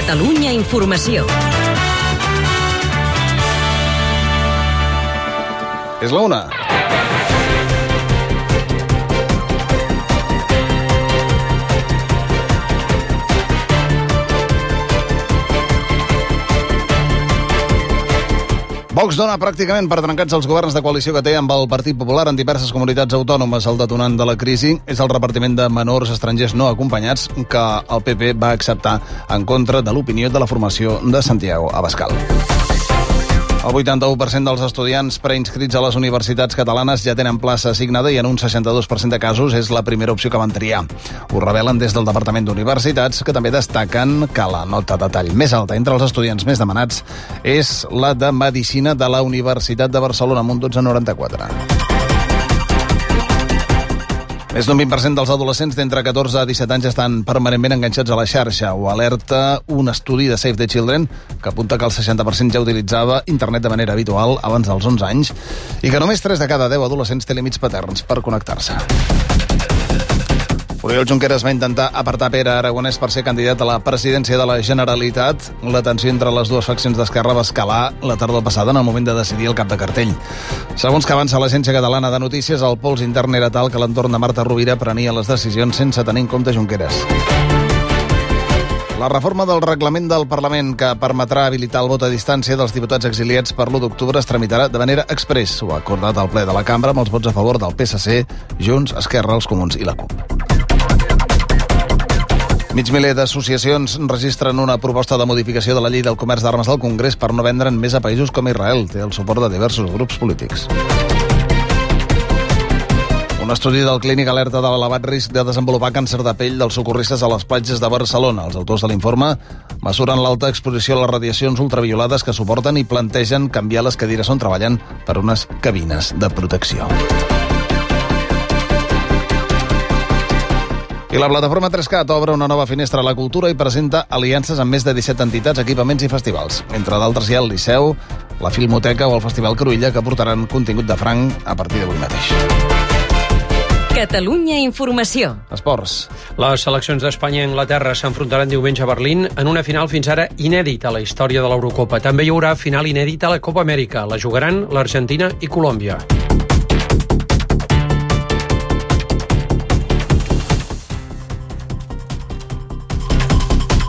Catalunya Informació. És la 1. Vox dona pràcticament per trencats els governs de coalició que té amb el Partit Popular en diverses comunitats autònomes. El detonant de la crisi és el repartiment de menors estrangers no acompanyats que el PP va acceptar en contra de l'opinió de la formació de Santiago Abascal. El 81% dels estudiants preinscrits a les universitats catalanes ja tenen plaça assignada i en un 62% de casos és la primera opció que van triar. Ho revelen des del Departament d'Universitats, que també destaquen que la nota de tall més alta entre els estudiants més demanats és la de Medicina de la Universitat de Barcelona, amb un 12,94. Més d'un 20% dels adolescents d'entre 14 a 17 anys estan permanentment enganxats a la xarxa. Ho alerta un estudi de Save the Children que apunta que el 60% ja utilitzava internet de manera habitual abans dels 11 anys i que només 3 de cada 10 adolescents té límits paterns per connectar-se. Oriol Junqueras va intentar apartar Pere Aragonès per ser candidat a la presidència de la Generalitat. La tensió entre les dues faccions d'Esquerra va escalar la tardor passada en el moment de decidir el cap de cartell. Segons que avança l'Agència Catalana de Notícies, el pols intern era tal que l'entorn de Marta Rovira prenia les decisions sense tenir en compte Junqueras. La reforma del reglament del Parlament que permetrà habilitar el vot a distància dels diputats exiliats per l'1 d'octubre es tramitarà de manera express. Ho ha acordat el ple de la Cambra amb els vots a favor del PSC, Junts, Esquerra, els Comuns i la CUP. Mig miler d'associacions registren una proposta de modificació de la llei del comerç d'armes al Congrés per no vendre'n més a països com Israel. Té el suport de diversos grups polítics. Un estudi del Clínic alerta de l'elevat risc de desenvolupar càncer de pell dels socorristes a les platges de Barcelona. Els autors de l'informe mesuren l'alta exposició a les radiacions ultraviolades que suporten i plantegen canviar les cadires on treballen per unes cabines de protecció. I la plataforma 3CAT obre una nova finestra a la cultura i presenta aliances amb més de 17 entitats, equipaments i festivals. Entre d'altres hi ha el Liceu, la Filmoteca o el Festival Cruïlla, que portaran contingut de franc a partir d'avui mateix. Catalunya Informació. Esports. Les seleccions d'Espanya i Anglaterra s'enfrontaran diumenge a Berlín en una final fins ara inèdita a la història de l'Eurocopa. També hi haurà final inèdita a la Copa Amèrica. La jugaran l'Argentina i Colòmbia.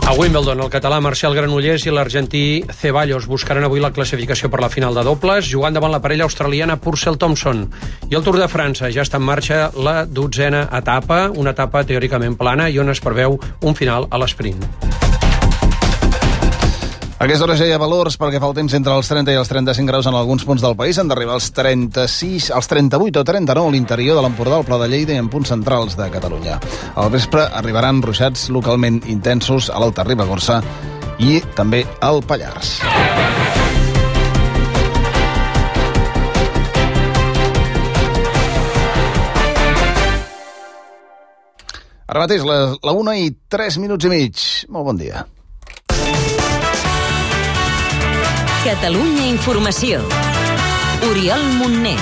A Wimbledon, el català Marcel Granollers i l'argentí Ceballos buscaran avui la classificació per la final de dobles, jugant davant la parella australiana Purcell Thompson. I el Tour de França ja està en marxa la 12a etapa, una etapa teòricament plana i on es preveu un final a l'esprint. A aquesta hora ja hi ha valors perquè fa el temps entre els 30 i els 35 graus en alguns punts del país. Han d'arribar als 36, als 38 o 39 a l'interior de l'Empordà, al Pla de Lleida i en punts centrals de Catalunya. Al vespre arribaran ruixats localment intensos a l'Alta Ribagorça i també al Pallars. Ara mateix, la 1 i 3 minuts i mig. Molt bon dia. Catalunya Informació. Oriol Montner.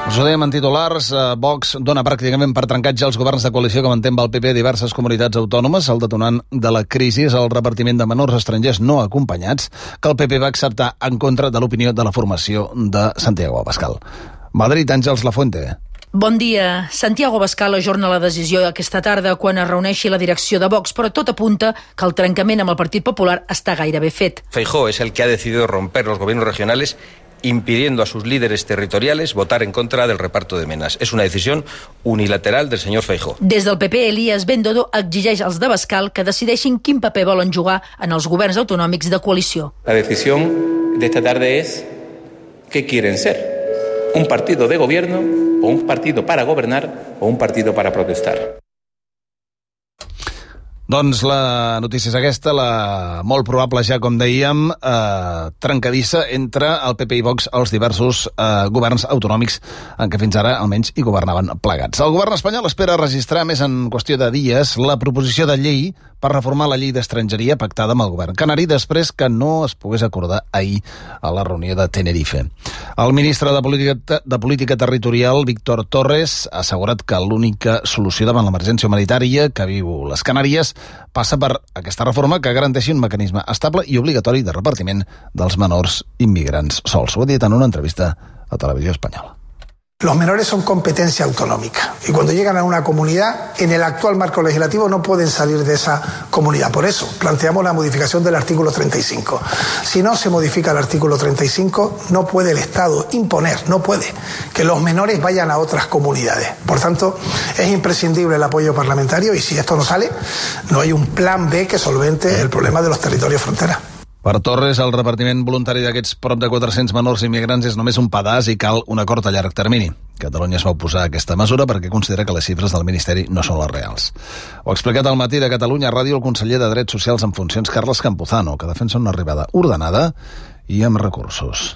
Us ho dèiem en titulars, Vox dona pràcticament per trencats ja els governs de coalició que manté amb el PP a diverses comunitats autònomes. El detonant de la crisi és el repartiment de menors estrangers no acompanyats que el PP va acceptar en contra de l'opinió de la formació de Santiago Abascal. Madrid, Àngels Lafuente. Bon dia. Santiago Abascal ajorna la decisió aquesta tarda quan es reuneixi la direcció de Vox, però tot apunta que el trencament amb el Partit Popular està gairebé fet. Feijóo es el que ha decidido romper los gobiernos regionales impidiendo a sus líderes territoriales votar en contra del reparto de menas. Es una decisión unilateral del señor Feijóo. Des del PP, Elías Bendodo exigeix als d'Abascal que decideixin quin paper volen jugar en els governs autonòmics de coalició. La decisión de esta tarde es ¿qué quieren ser? ¿Un partido de gobierno o un partido para gobernar o un partido para protestar? Doncs la notícia és aquesta, la molt probable, ja com dèiem, trencadissa entre el PP i Vox als diversos governs autonòmics en què fins ara almenys hi governaven plegats. El govern espanyol espera registrar més en qüestió de dies la proposició de llei per reformar la llei d'estrangeria pactada amb el govern canari després que no es pogués acordar ahir a la reunió de Tenerife. El ministre de Política Territorial, Víctor Torres, ha assegurat que l'única solució davant l'emergència humanitària que viu les Canàries passa per aquesta reforma que garanteixi un mecanisme estable i obligatori de repartiment dels menors immigrants sols. Ho ha dit en una entrevista a Televisió Espanyola. Los menores son competencia autonómica y cuando llegan a una comunidad, en el actual marco legislativo no pueden salir de esa comunidad. Por eso planteamos la modificación del artículo 35. Si no se modifica el artículo 35, no puede el Estado imponer, no puede que los menores vayan a otras comunidades. Por tanto, es imprescindible el apoyo parlamentario y si esto no sale, no hay un plan B que solvente el problema de los territorios frontera. Per Torres, el repartiment voluntari d'aquests prop de 400 menors immigrants és només un pedaç i cal un acord a llarg termini. Catalunya es va oposar a aquesta mesura perquè considera que les xifres del Ministeri no són les reals. Ho ha explicat al Matí de Catalunya Ràdio el conseller de Drets Socials en funcions, Carles Campuzano, que defensa una arribada ordenada i amb recursos.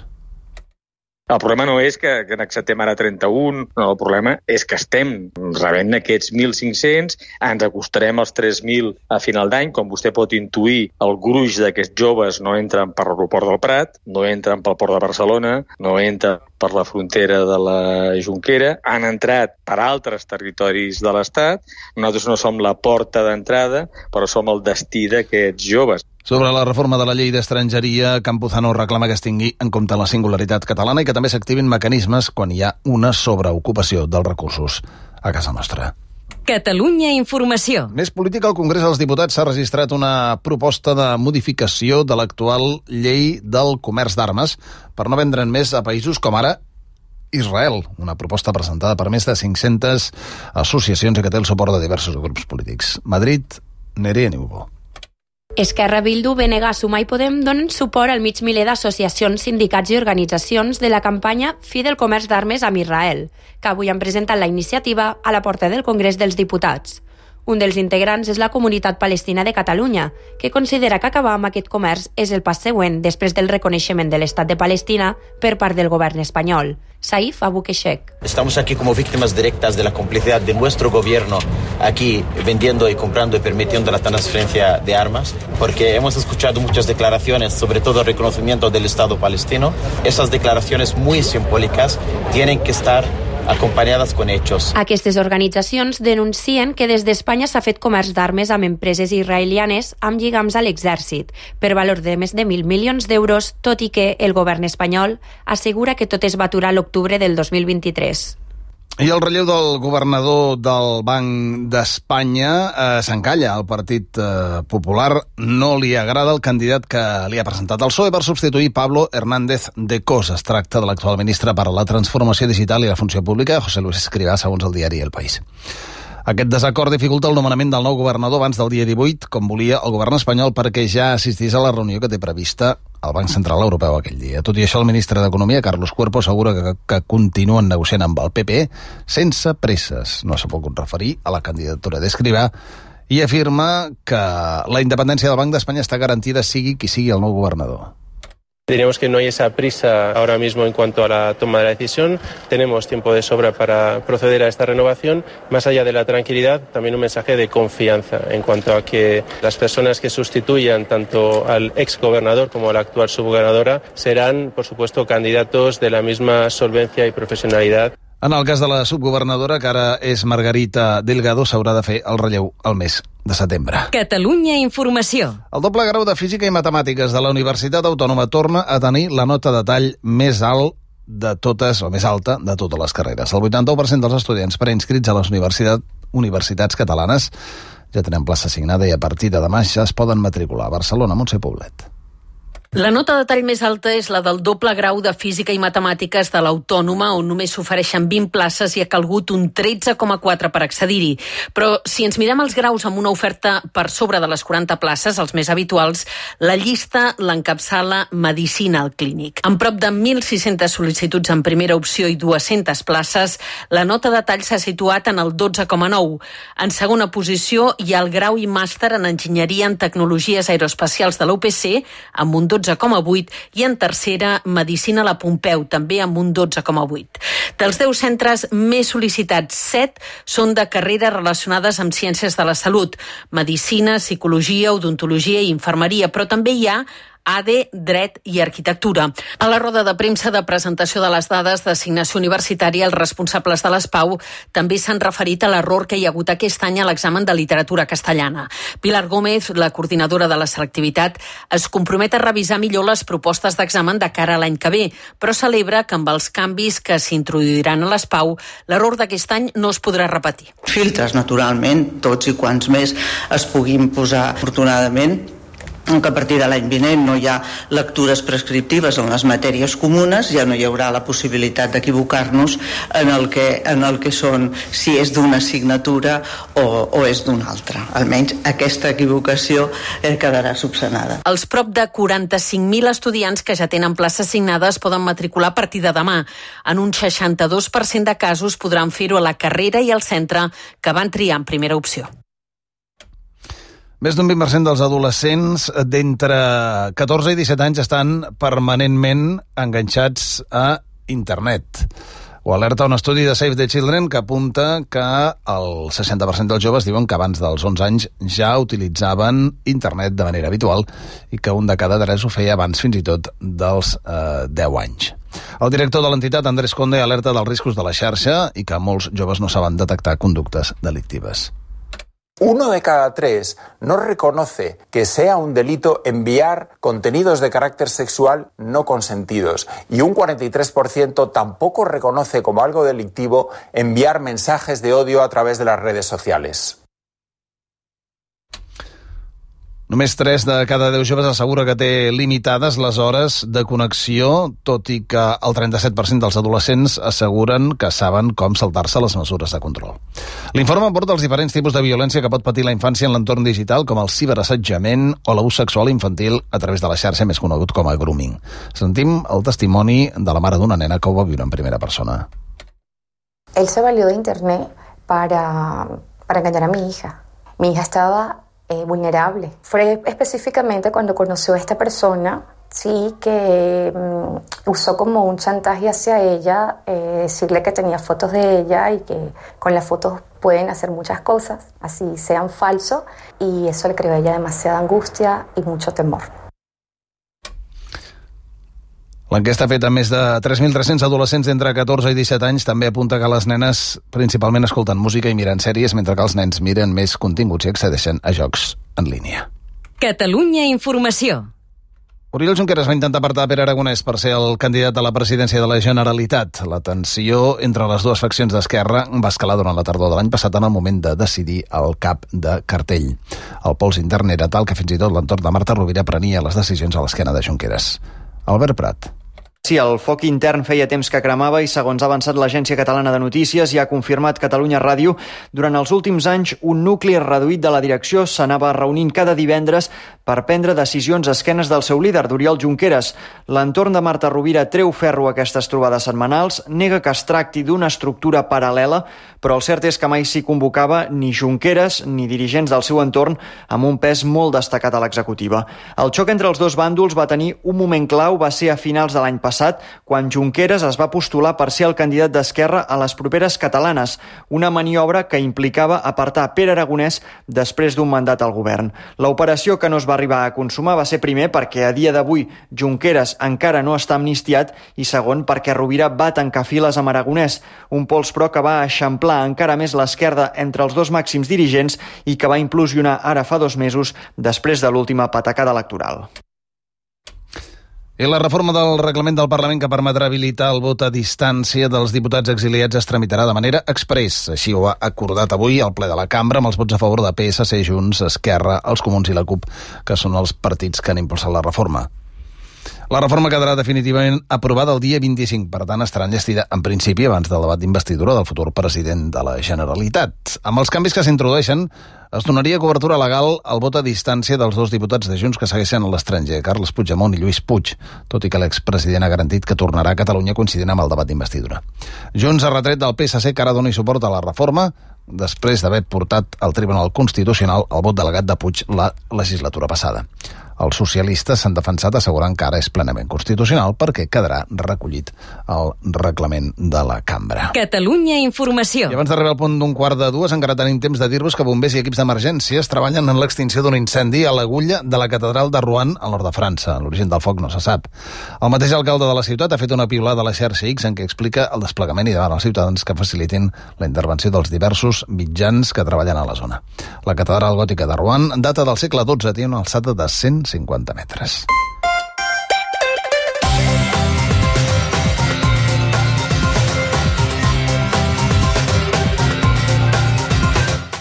El problema no és que n'acceptem ara 31, no, el problema és que estem rebent aquests 1.500, ens acostarem als 3.000 a final d'any, com vostè pot intuir, el gruix d'aquests joves no entren per l'aeroport del Prat, no entren pel port de Barcelona, no entren per la frontera de la Jonquera, han entrat per altres territoris de l'Estat, nosaltres no som la porta d'entrada, però som el destí d'aquests joves. Sobre la reforma de la llei d'estrangeria, Campuzano reclama que es tingui en compte la singularitat catalana i que també s'activin mecanismes quan hi ha una sobreocupació dels recursos a casa nostra. Catalunya Informació. Més política, al Congrés dels Diputats s'ha registrat una proposta de modificació de l'actual llei del comerç d'armes per no vendre'n més a països com ara Israel, una proposta presentada per més de 500 associacions i que té el suport de diversos grups polítics. Madrid, Nerea Niubó. Esquerra, Bildu, BNG, Sumar i Podem donen suport al mig miler d'associacions, sindicats i organitzacions de la campanya Fi del comerç d'armes amb Israel, que avui han presentat la iniciativa a la porta del Congrés dels Diputats. Un dels integrants és la Comunitat Palestina de Catalunya, que considera que acabar amb aquest comerç és el pas següent després del reconeixement de l'Estat de Palestina per part del govern espanyol. Saif Abukeshek. Estamos aquí como víctimas directas de la complicidad de nuestro gobierno aquí vendiendo y comprando y permitiendo la transferencia de armas, porque hemos escuchado muchas declaraciones, sobre todo el reconocimiento del Estado palestino. Esas declaraciones muy simbólicas tienen que estar acompanyades con hechos. Aquestes organitzacions denuncien que des d'Espanya s'ha fet comerç d'armes amb empreses israelianes amb lligams a l'exèrcit, per valor de més de 1.000 milions d'euros, tot i que el govern espanyol assegura que tot es va aturar a l'octubre del 2023. I el relleu del governador del Banc d'Espanya s'encalla. El Partit Popular no li agrada el candidat que li ha presentat el PSOE per substituir Pablo Hernández de Cos. Es tracta de l'actual ministre per a la transformació digital i la funció pública, José Luis Escrivá, segons el diari El País. Aquest desacord dificulta el nomenament del nou governador abans del dia 18, com volia el govern espanyol, perquè ja assistís a la reunió que té prevista al Banc Central Europeu aquell dia. Tot i això, el ministre d'Economia, Carlos Cuerpo, assegura que continuen negociant amb el PP sense presses. No s'ha pogut referir a la candidatura d'Escrivá i afirma que la independència del Banc d'Espanya està garantida sigui qui sigui el nou governador. Diríamos que no hay esa prisa ahora mismo en cuanto a la toma de la decisión. Tenemos tiempo de sobra para proceder a esta renovación. Más allá de la tranquilidad, también un mensaje de confianza en cuanto a que las personas que sustituyan tanto al exgobernador como a la actual subgobernadora serán, por supuesto, candidatos de la misma solvencia y profesionalidad. En el cas de la subgovernadora, que ara és Margarita Delgado, s'haurà de fer el relleu al mes de setembre. Catalunya Informació. El doble grau de Física i Matemàtiques de la Universitat Autònoma torna a tenir la nota de tall més alt de totes, o més alta, de totes les carreres. El 81% dels estudiants preinscrits a les universitats catalanes ja tenen plaça assignada i a partir de demà ja es poden matricular. A Barcelona, Montse Poblet. La nota de tall més alta és la del doble grau de Física i Matemàtiques de l'Autònoma, on només s'ofereixen 20 places i ha calgut un 13,4 per accedir-hi. Però si ens mirem els graus amb una oferta per sobre de les 40 places, els més habituals, la llista l'encapçala Medicina al Clínic. Amb prop de 1.600 sol·licituds en primera opció i 200 places, la nota de tall s'ha situat en el 12,9. En segona posició hi ha el grau i màster en Enginyeria en Tecnologies Aeroespacials de la UPC, amb un 12,8 i en tercera Medicina la Pompeu, també amb un 12,8. Dels 10 centres més sol·licitats, 7 són de carreres relacionades amb ciències de la salut, medicina, psicologia, odontologia i infermeria, però també hi ha ADE, Dret i Arquitectura. A la roda de premsa de presentació de les dades d'assignació universitària, els responsables de l'ESPAU també s'han referit a l'error que hi ha hagut aquest any a l'examen de literatura castellana. Pilar Gómez, la coordinadora de la selectivitat, es compromet a revisar millor les propostes d'examen de cara a l'any que ve, però celebra que amb els canvis que s'introduiran a l'ESPAU, l'error d'aquest any no es podrà repetir. Filtres, naturalment, tots i quants més es puguin posar, afortunadament, que a partir de l'any vinent no hi ha lectures prescriptives en les matèries comunes, ja no hi haurà la possibilitat d'equivocar-nos en el que són, si és d'una assignatura o és d'una altra. Almenys aquesta equivocació quedarà subsanada. Els prop de 45.000 estudiants que ja tenen places assignades poden matricular a partir de demà. En un 62% de casos podran fer-ho a la carrera i al centre que van triar en primera opció. Més d'un 20% dels adolescents d'entre 14 i 17 anys estan permanentment enganxats a internet. Ho alerta un estudi de Save the Children que apunta que el 60% dels joves diuen que abans dels 11 anys ja utilitzaven internet de manera habitual i que un de cada 3 ho feia abans fins i tot dels 10 anys. El director de l'entitat, Andrés Conde, alerta dels riscos de la xarxa i que molts joves no saben detectar conductes delictives. 1 de cada 3 no reconoce que sea un delito enviar contenidos de carácter sexual no consentidos y un 43% tampoco reconoce como algo delictivo enviar mensajes de odio a través de las redes sociales. Només 3 de cada 10 joves assegura que té limitades les hores de connexió, tot i que el 37% dels adolescents asseguren que saben com saltar-se les mesures de control. L'informe aborda els diferents tipus de violència que pot patir la infància en l'entorn digital, com el ciberassetjament o l'abús sexual infantil a través de la xarxa més conegut com a grooming. Sentim el testimoni de la mare d'una nena que ho va viure en primera persona. Él se valió de internet para engañar a mi hija. Mi hija estaba vulnerable. Fue específicamente cuando conoció a esta persona, sí, que usó como un chantaje hacia ella, decirle que tenía fotos de ella y que con las fotos pueden hacer muchas cosas, así sean falsos, y eso le creó a ella demasiada angustia y mucho temor. L'enquesta feta amb més de 3.300 adolescents d'entre 14 i 17 anys també apunta que les nenes principalment escolten música i miren sèries, mentre que els nens miren més continguts i accedeixen a jocs en línia. Catalunya Informació. Oriol Junqueras va intentar apartar Pere Aragonès per ser el candidat a la presidència de la Generalitat. La tensió entre les dues faccions d'Esquerra va escalar durant la tardor de l'any passat en el moment de decidir el cap de cartell. El pols intern era tal que fins i tot l'entorn de Marta Rovira prenia les decisions a l'esquena de Junqueras. Albert Prat. Sí, el foc intern feia temps que cremava i, segons ha avançat l'Agència Catalana de Notícies i ha confirmat Catalunya Ràdio, durant els últims anys un nucli reduït de la direcció s'anava reunint cada divendres per prendre decisions a esquenes del seu líder, d'Oriol Junqueras. L'entorn de Marta Rovira treu ferro a aquestes trobades setmanals, nega que es tracti d'una estructura paral·lela, però el cert és que mai s'hi convocava ni Junqueras ni dirigents del seu entorn amb un pes molt destacat a l'executiva. El xoc entre els dos bàndols va tenir un moment clau, va ser a finals de l'any passat, quan Junqueras es va postular per ser el candidat d'Esquerra a les properes catalanes, una maniobra que implicava apartar Pere Aragonès després d'un mandat al govern. L'operació, que no es va arribar a consumar, va ser primer perquè a dia d'avui Junqueras encara no està amnistiat i segon perquè Rovira va tancar files amb Aragonès, un pols però que va eixamplar encara més l'esquerda entre els dos màxims dirigents i que va implosionar ara fa 2 mesos després de l'última patacada electoral. I la reforma del reglament del Parlament que permetrà habilitar el vot a distància dels diputats exiliats es tramitarà de manera express. Així ho ha acordat avui el ple de la cambra amb els vots a favor de PSC, Junts, Esquerra, els Comuns i la CUP, que són els partits que han impulsat la reforma. La reforma quedarà definitivament aprovada el dia 25, per tant estarà enllestida en principi abans del debat d'investidura del futur president de la Generalitat. Amb els canvis que s'introdueixen, es donaria cobertura legal al vot a distància dels 2 diputats de Junts que segueixen a l'estranger, Carles Puigdemont i Lluís Puig, tot i que l'expresident ha garantit que tornarà a Catalunya coincidint amb el debat d'investidura. Junts ha retret del PSC que ara doni suport a la reforma després d'haver portat al Tribunal Constitucional el vot delegat de Puig la legislatura passada. Els socialistes s'han defensat assegurant que ara és plenament constitucional perquè quedarà recollit al reglament de la cambra. Catalunya Informació. I abans d'arribar al punt d'un quart de dues, encara tenim temps de dir-vos que bombers i equips d'emergències treballen en l'extinció d'un incendi a l'Agulla de la catedral de Rouen, al nord de França. L'origen del foc no se sap. El mateix alcalde de la ciutat ha fet una piulada a la xarxa X en què explica el desplegament i demana als ciutadans que facilitin la intervenció dels diversos mitjans que treballen a la zona. La catedral gòtica de Rouen data del segle XII, té una alçada de 150 metres.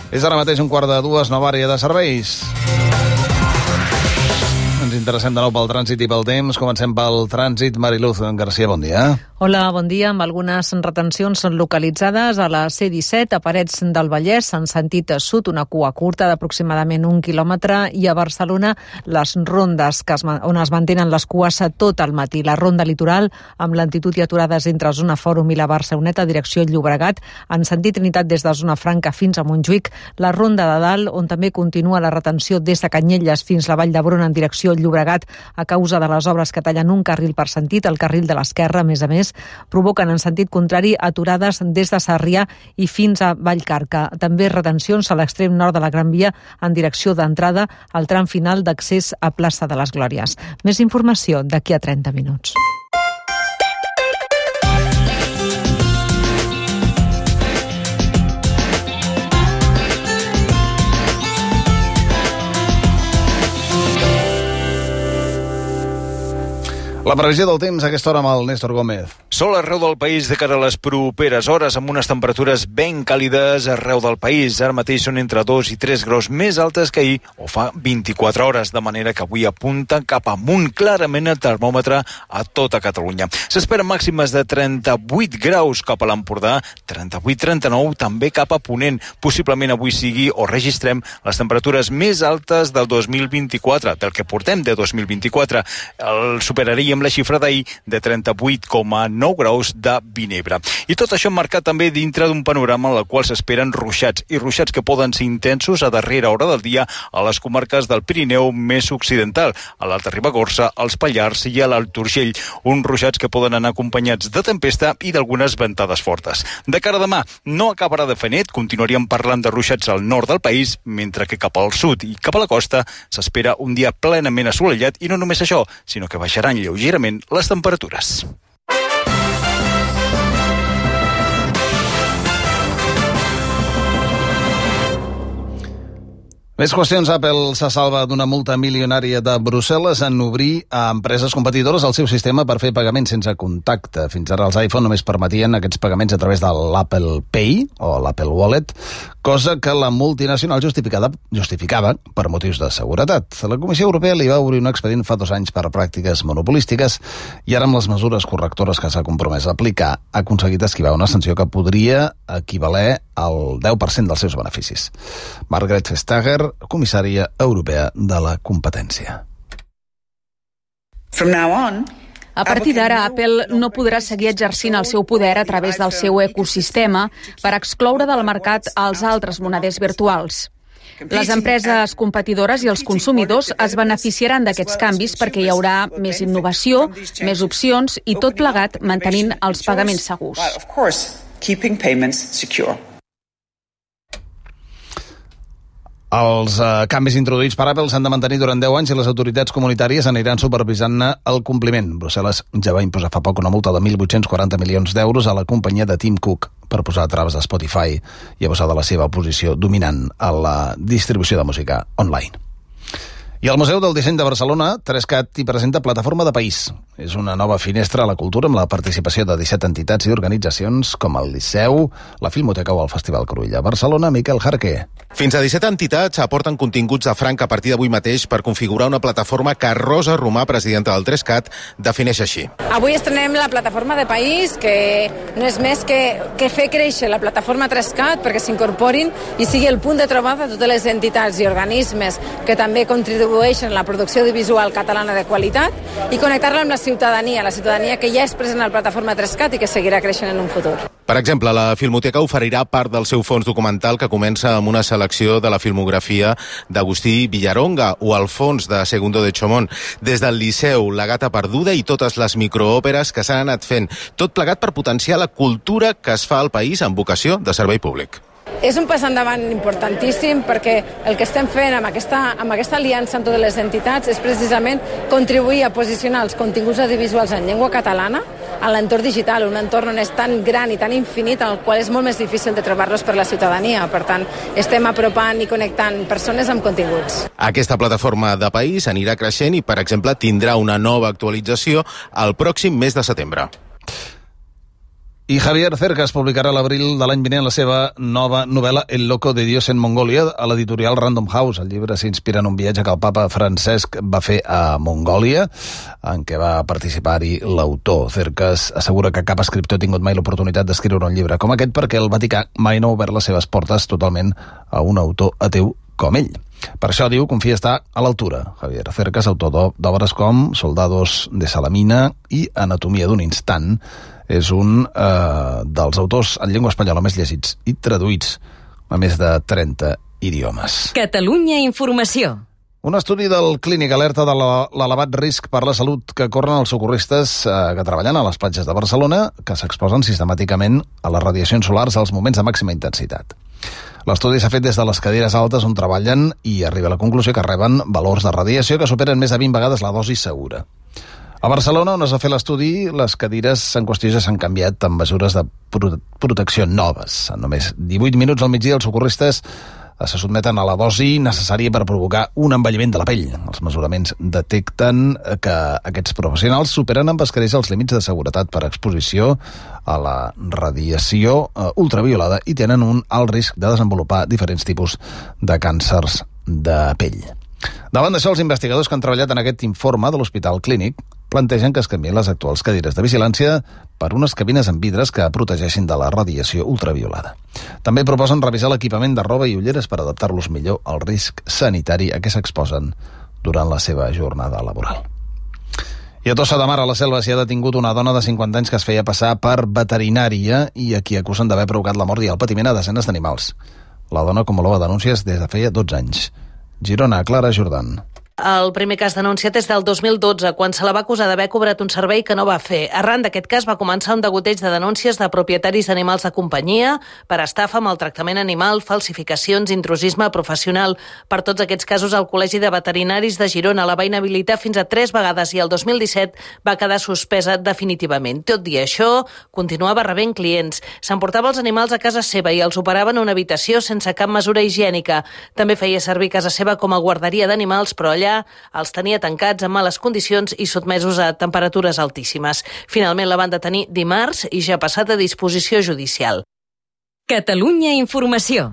És ara mateix un quart de dues, nova àrea de serveis. Ens interessem de nou pel trànsit i pel temps. Comencem pel trànsit. Mariluz García, bon dia. Hola, bon dia. Amb algunes retencions localitzades a la C-17, a Parets del Vallès, en sentit sud, una cua curta d'aproximadament 1 quilòmetre, i a Barcelona les rondes on es mantenen les cues tot el matí. La ronda litoral, amb lentitud i aturades entre Zona Fòrum i la Barceloneta, direcció Llobregat, en sentit Trinitat des de Zona Franca fins a Montjuïc. La ronda de dalt, on també continua la retenció des de Canyelles fins a la Vall d'Hebron en direcció Llobregat, a causa de les obres que tallen un carril per sentit, el carril de l'esquerra, a més, provoquen en sentit contrari aturades des de Sarrià i fins a Vallcarca. També retencions a l'extrem nord de la Gran Via en direcció d'entrada al tram final d'accés a Plaça de les Glòries. Més informació d'aquí a 30 minuts. La previsió del temps a aquesta hora amb el Néstor Gómez. Sol arreu del país de cara a les properes hores, amb unes temperatures ben càlides arreu del país. Ara mateix són entre 2 i 3 graus més altes que ahir, o fa 24 hores, de manera que avui apunta cap amunt clarament el termòmetre a tota Catalunya. S'esperen màximes de 38 graus cap a l'Empordà, 38-39 també cap a Ponent. Possiblement avui sigui o registrem les temperatures més altes del 2024, del que portem de 2024. El superaríem la xifra d'ahir de 38,9 graus de Vinebre. I tot això marcat també dintre d'un panorama en el qual s'esperen ruixats, i ruixats que poden ser intensos a darrera hora del dia a les comarques del Pirineu més occidental, a l'Alta Ribagorça, als Pallars i a l'Alt Urgell. Uns ruixats que poden anar acompanyats de tempesta i d'algunes ventades fortes. De cara a demà, no acabarà de fer net, continuaríem parlant de ruixats al nord del país, mentre que cap al sud i cap a la costa s'espera un dia plenament assolellat, i no només això, sinó que baixaran lleugerament les temperatures. Més qüestions. Apple se salva d'una multa milionària de Brussel·les en obrir a empreses competidores el seu sistema per fer pagaments sense contacte. Fins ara els iPhone només permetien aquests pagaments a través de l'Apple Pay o l'Apple Wallet, cosa que la multinacional justificava per motius de seguretat. La Comissió Europea li va obrir un expedient fa 2 anys per pràctiques monopolístiques, i ara amb les mesures correctores que s'ha compromès a aplicar ha aconseguit esquivar una sanció que podria equivaler al 10% dels seus beneficis. Margaret Vestager, comissària europea de la competència. A partir d'ara, Apple no podrà seguir exercint el seu poder a través del seu ecosistema per excloure del mercat els altres moneders virtuals. Les empreses competidores i els consumidors es beneficiaran d'aquests canvis perquè hi haurà més innovació, més opcions i tot plegat mantenint els pagaments segurs. Els canvis introduïts per Apple s'han de mantenir durant 10 anys i les autoritats comunitàries aniran supervisant-ne el compliment. Brussel·les ja va imposar fa poc una multa de 1.840 milions d'euros a la companyia de Tim Cook per posar traves a Spotify i abusar de la seva posició dominant a la distribució de música online. I al Museu del Disseny de Barcelona, 3CAT hi presenta Plataforma de País. És una nova finestra a la cultura amb la participació de 17 entitats i organitzacions com el Liceu, la Filmoteca o el Festival Cruïlla. Barcelona, Miquel Jarqué. Fins a 17 entitats aporten continguts a franc a partir d'avui mateix per configurar una plataforma que Rosa Romà, presidenta del 3CAT, defineix així. Avui estrenem la Plataforma de País, que no és més que fer créixer la plataforma 3CAT perquè s'incorporin i sigui el punt de trobada de totes les entitats i organismes que també contribueixen contribueixen a la producció audiovisual catalana de qualitat i connectar-la amb la ciutadania que ja és present a la plataforma 3CAT i que seguirà creixent en un futur. Per exemple, la Filmoteca oferirà part del seu fons documental que comença amb una selecció de la filmografia d'Agustí Villaronga o el fons de Segundo de Chomón. Des del Liceu, La gata perduda i totes les microòperes que s'han anat fent. Tot plegat per potenciar la cultura que es fa al país amb vocació de servei públic. És un pas endavant importantíssim perquè el que estem fent amb aquesta aliança amb totes les entitats és precisament contribuir a posicionar els continguts audiovisuals en llengua catalana a l'entorn digital, un entorn on és tan gran i tan infinit, en el qual és molt més difícil de trobar-los per la ciutadania. Per tant, estem apropant i connectant persones amb continguts. Aquesta plataforma de país anirà creixent i, per exemple, tindrà una nova actualització el pròxim mes de setembre. I Javier Cercas publicarà a l'abril de l'any vinent la seva nova novel·la El loco de Dios en Mongolia a l'editorial Random House. El llibre s'inspira en un viatge que el papa Francesc va fer a Mongòlia, en què va participar-hi l'autor. Cercas assegura que cap escriptor ha tingut mai l'oportunitat d'escriure un llibre com aquest perquè el Vaticà mai no ha obert les seves portes totalment a un autor ateu com ell. Per això, diu, confia estar a l'altura. Javier Cercas, autor d'obres com Soldados de Salamina i Anatomia d'un instant, és un dels autors en llengua espanyola més llegits i traduïts a més de 30 idiomes. Catalunya Informació. Un estudi del Clínic alerta de l'elevat risc per la salut que corren els socorristes que treballen a les platges de Barcelona, que s'exposen sistemàticament a les radiacions solars als moments de màxima intensitat. L'estudi s'ha fet des de les cadires altes on treballen i arriba a la conclusió que reben valors de radiació que superen més de 20 vegades la dosi segura. A Barcelona, on es va fer l'estudi, les cadires en qüestió ja s'han canviat amb mesures de protecció noves. En només 18 minuts al migdia, els socorristes se sotmeten a la dosi necessària per provocar un envelliment de la pell. Els mesuraments detecten que aquests professionals superen amb escreix els límits de seguretat per exposició a la radiació ultraviolada i tenen un alt risc de desenvolupar diferents tipus de càncers de pell. Davant d'això, els investigadors que han treballat en aquest informe de l'Hospital Clínic plantegen que es canvien les actuals cadires de vigilància per unes cabines amb vidres que protegeixin de la radiació ultraviolada. També proposen revisar l'equipament de roba i ulleres per adaptar-los millor al risc sanitari a què s'exposen durant la seva jornada laboral. I a Tossa de Mar, a la Selva, s'hi ha detingut una dona de 50 anys que es feia passar per veterinària i a qui acusen d'haver provocat la mort i el patiment a desenes d'animals. La dona acumulava denúncies des de feia 12 anys. Girona, Clara Jordan. El primer cas denunciat és del 2012, quan se la va acusar d'haver cobrat un servei que no va fer. Arran d'aquest cas va començar un degoteig de denúncies de propietaris d'animals de companyia per estafa, maltractament animal, falsificacions, intrusisme professional. Per tots aquests casos, el Col·legi de Veterinaris de Girona la va inhabilitar fins a 3 vegades i el 2017 va quedar suspesa definitivament. Tot i això, continuava rebent clients. S'emportava els animals a casa seva i els operava en una habitació sense cap mesura higiènica. També feia servir casa seva com a guarderia d'animals, però allà els tenia tancats en males condicions i sotmesos a temperatures altíssimes. Finalment la van detenir dimarts i ja ha passat a disposició judicial. Catalunya Informació.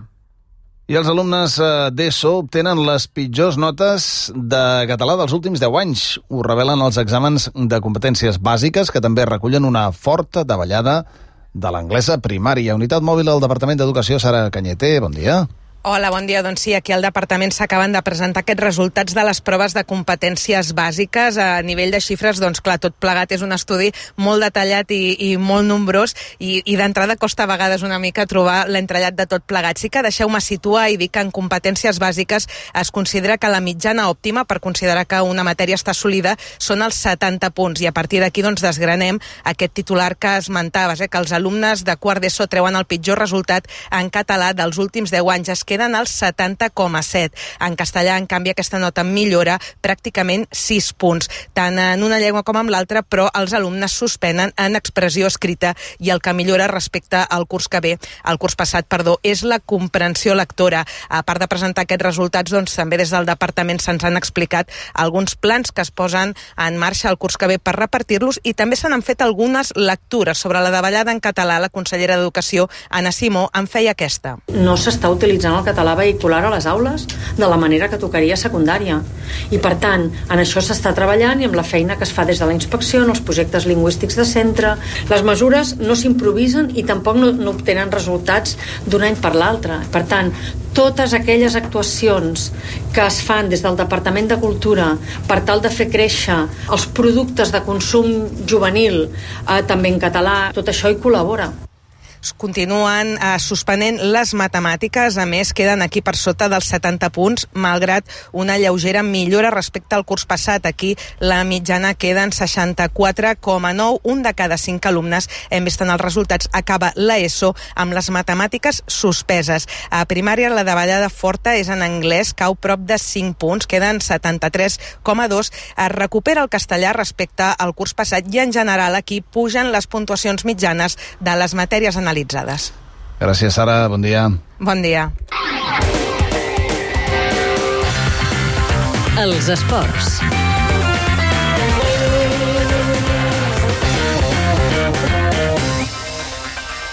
I els alumnes d'ESO obtenen les pitjors notes de català dels últims 10 anys. Ho revelen els exàmens de competències bàsiques, que també recullen una forta davallada de l'anglesa primària. Unitat mòbil del Departament d'Educació, Sara Cañete, bon dia. Hola, bon dia. Doncs sí, aquí al departament s'acaben de presentar aquests resultats de les proves de competències bàsiques. A nivell de xifres, doncs clar, tot plegat és un estudi molt detallat i molt nombrós i d'entrada costa a vegades una mica trobar l'entrellat de tot plegat. Sí que deixeu-me situar i dir que en competències bàsiques es considera que la mitjana òptima per considerar que una matèria està assolida són els 70 punts i a partir d'aquí doncs desgranem aquest titular que esmentaves, que els alumnes de quart d'ESO treuen el pitjor resultat en català dels últims 10 anys. Es queden als 70,7. En castellà, en canvi, aquesta nota millora pràcticament 6 punts, tant en una llengua com en l'altra, però els alumnes suspenen en expressió escrita i el que millora respecte al curs que ve, el curs passat, és la comprensió lectora. A part de presentar aquests resultats, doncs també des del departament se'ns han explicat alguns plans que es posen en marxa el curs que ve per repartir-los i també se n'han fet algunes lectures sobre la davallada en català. La consellera d'Educació, Anna Simó, en feia aquesta. No s'està utilitzant el català vehicular a les aules de la manera que tocaria a secundària. I per tant, en això s'està treballant i amb la feina que es fa des de la inspecció, en els projectes lingüístics de centre. Les mesures no s'improvisen i tampoc no obtenen resultats d'un any per l'altre. Per tant, totes aquelles actuacions que es fan des del Departament de Cultura per tal de fer créixer els productes de consum juvenil, també en català, tot això hi col·labora. Continuen suspenent les matemàtiques, a més queden aquí per sota dels 70 punts, malgrat una lleugera millora respecte al curs passat. Aquí la mitjana queda en 64,9, un de cada 5 alumnes, hem vist en els resultats, acaba l'ESO amb les matemàtiques suspeses. A primària la davallada forta és en anglès, cau prop de 5 punts, queden 73,2, es recupera el castellà respecte al curs passat i en general aquí pugen les puntuacions mitjanes de les matèries analitzades. Gràcies, Sara. Bon dia. Bon dia. Els esports.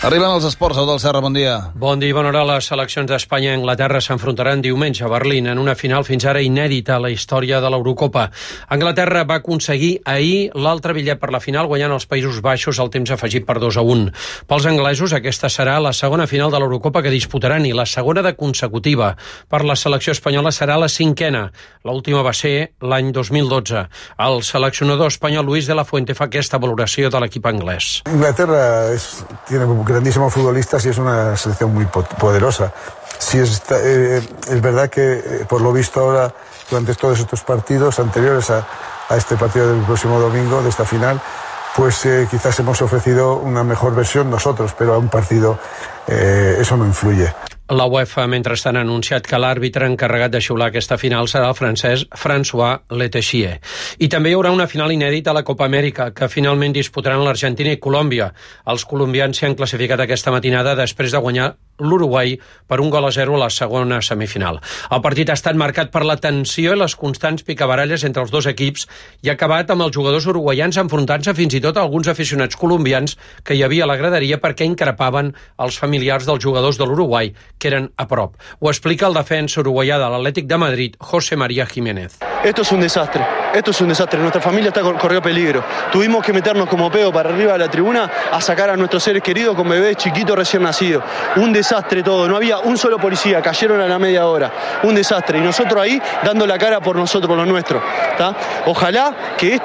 Arriben els esports, Eudald Serra, bon dia. Bon dia i bona hora. Les seleccions d'Espanya i Anglaterra s'enfrontaran diumenge a Berlín en una final fins ara inèdita a la història de l'Eurocopa. Anglaterra va aconseguir ahir l'altre bitllet per la final guanyant els Països Baixos al temps afegit per 2-1. Pels anglesos aquesta serà la segona final de l'Eurocopa que disputaran i la segona de consecutiva. Per la selecció espanyola serà la 5a. L'última va ser l'any 2012. El seleccionador espanyol Luis de la Fuente fa aquesta valoració de l'equip anglès. Inglaterra tiene grandísimos futbolistas y es una selección muy poderosa. Sí, es verdad que por lo visto ahora, durante todos estos partidos anteriores a este partido del próximo domingo, de esta final, pues quizás hemos ofrecido una mejor versión nosotros, pero a un partido eso no influye. La UEFA, mentrestant, ha anunciat que l'àrbitre encarregat de xiular aquesta final serà el francès François Letexier. I també hi haurà una final inèdita a la Copa Amèrica, que finalment disputaran l'Argentina i Colòmbia. Els colombians s'hi han classificat aquesta matinada després de guanyar l'Uruguai per 1-0 a la segona semifinal. El partit ha estat marcat per la tensió i les constants picabaralles entre els dos equips i ha acabat amb els jugadors uruguaians enfrontant-se fins i tot a alguns aficionats colombians que hi havia a la graderia perquè increpaven els familiars dels jugadors de l'Uruguai, que eren a prop. Ho explica el defensa uruguaià de l'Atlètic de Madrid, José María Jiménez. Esto es un desastre. Nuestra familia corrió peligro. Tuvimos que meternos como pedo para arriba de la tribuna a sacar a nuestros seres queridos con bebés chiquitos recién nacidos. Un desastre todo. No había un solo policía. Cayeron a la media hora. Un desastre. Y nosotros ahí dando la cara por nosotros, por lo nuestro. ¿Tá? Ojalá que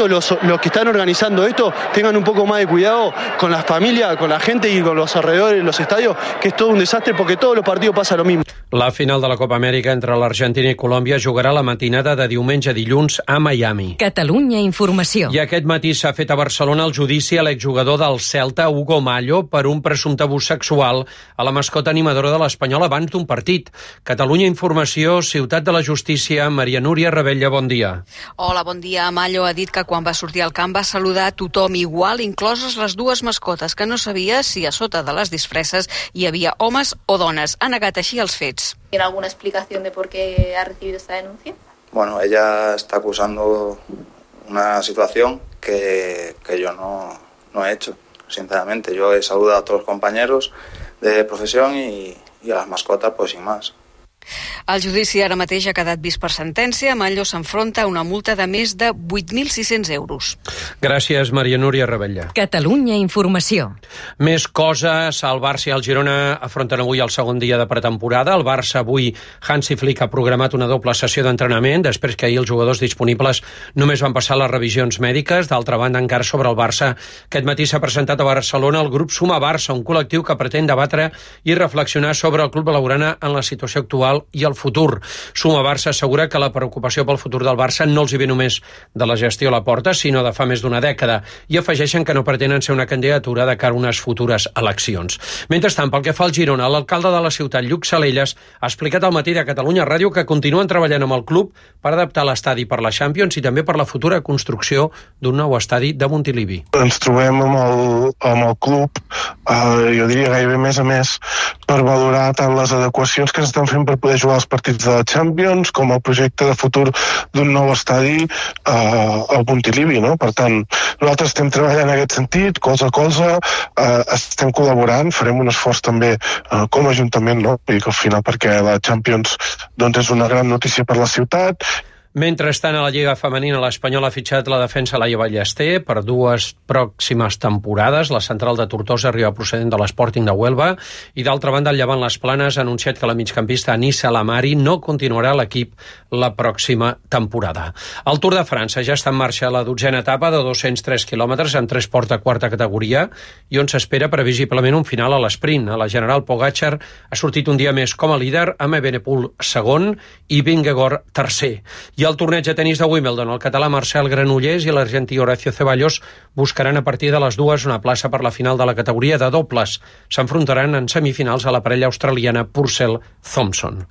los que están organizando esto tengan un poco más de cuidado con las familias, con la gente y con los alrededores de los estadios, que es todo un desastre porque todos los partidos pasa lo mismo. La final de la Copa Amèrica entre l'Argentina i Colòmbia jugarà la matinada de diumenge a dilluns a Miami. Catalunya Informació. I aquest matí s'ha fet a Barcelona el judici a l'exjugador del Celta, Hugo Mallo, per un presumpte abús sexual a la mascota animadora de l'Espanyol abans d'un partit. Catalunya Informació, Ciutat de la Justícia, Maria Núria Rebella, bon dia. Hola, bon dia. Mallo ha dit que quan va sortir al camp va saludar a tothom igual, incloses les dues mascotes, que no sabia si a sota de les disfresses hi havia homes o dones. Ha negat així els fets. ¿Tiene alguna explicación de por qué ha recibido esta denuncia? Bueno, ella está acusando una situación que yo no he hecho, sinceramente. Yo he saludado a todos los compañeros de profesión y a las mascotas, pues sin más. El judici ara mateix ha quedat vist per sentència. Mallo s'enfronta a una multa de més de 8.600 euros. Gràcies, Maria Núria Rebella. Catalunya Informació. Més coses. El Barça i el Girona afronten avui el segon dia de pretemporada. El Barça avui, Hansi Flick ha programat una doble sessió d'entrenament després que ahir els jugadors disponibles només van passar les revisions mèdiques. D'altra banda, encara sobre el Barça, aquest matí s'ha presentat a Barcelona el grup Suma Barça, un col·lectiu que pretén debatre i reflexionar sobre el club blaugrana en la situació actual i el futur. Suma Barça assegura que la preocupació pel futur del Barça no els hi ve només de la gestió a la porta, sinó de fa més d'una dècada, i afegeixen que no pretenen ser una candidatura de cara a unes futures eleccions. Mentrestant, pel que fa al Girona, l'alcalde de la ciutat, Lluc Salelles, ha explicat al matí de Catalunya Ràdio que continuen treballant amb el club per adaptar l'estadi per la Champions i també per la futura construcció d'un nou estadi de Montilivi. Ens trobem amb el club, jo diria gairebé més a més, per valorar tant les adequacions que s'estan fent per poder jugar els partits de la Champions com el projecte de futur d'un nou estadi al Montilivi, no? Per tant, nosaltres estem treballant en aquest sentit, colze a colze, estem col·laborant, farem un esforç també com a Ajuntament, no? Vull dir que al final perquè la Champions doncs, és una gran notícia per la ciutat. Mentrestant, a la Lliga Femenina, l'Espanyol ha fitxat la defensa Laia Ballester per 2 pròximes temporades. La central de Tortosa arriba procedent de l'Sporting de Huelva i, d'altra banda, el Llevant Les Planes ha anunciat que la migcampista Anissa Lamari no continuarà a l'equip la pròxima temporada. El Tour de França ja està en marxa la 12a etapa de 203 quilòmetres amb 3 ports de quarta categoria i on s'espera previsiblement un final a l'esprint. La General Pogačar ha sortit un dia més com a líder amb Evenepoel segon i Vingegaard tercer. I el torneig de tenis de Wimbledon, el català Marcel Granollers i l'argentí Horacio Ceballos buscaran a partir de les 2 una plaça per la final de la categoria de dobles. S'enfrontaran en semifinals a la parella australiana Purcell-Thompson.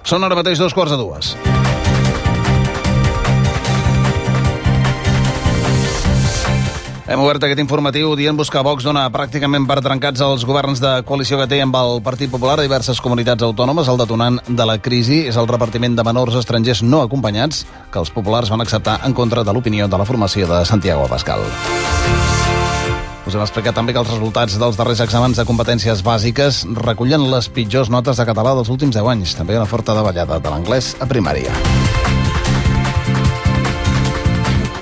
Són ara mateix 2:45. Hem obert aquest informatiu dient-vos que Vox dona pràcticament per trencats els governs de coalició que té amb el Partit Popular a diverses comunitats autònomes. El detonant de la crisi és el repartiment de menors estrangers no acompanyats que els populars van acceptar en contra de l'opinió de la formació de Santiago Abascal. Us hem explicat també que els resultats dels darrers exàmens de competències bàsiques recullen les pitjors notes de català dels últims 10 anys. També una forta davallada de l'anglès a primària.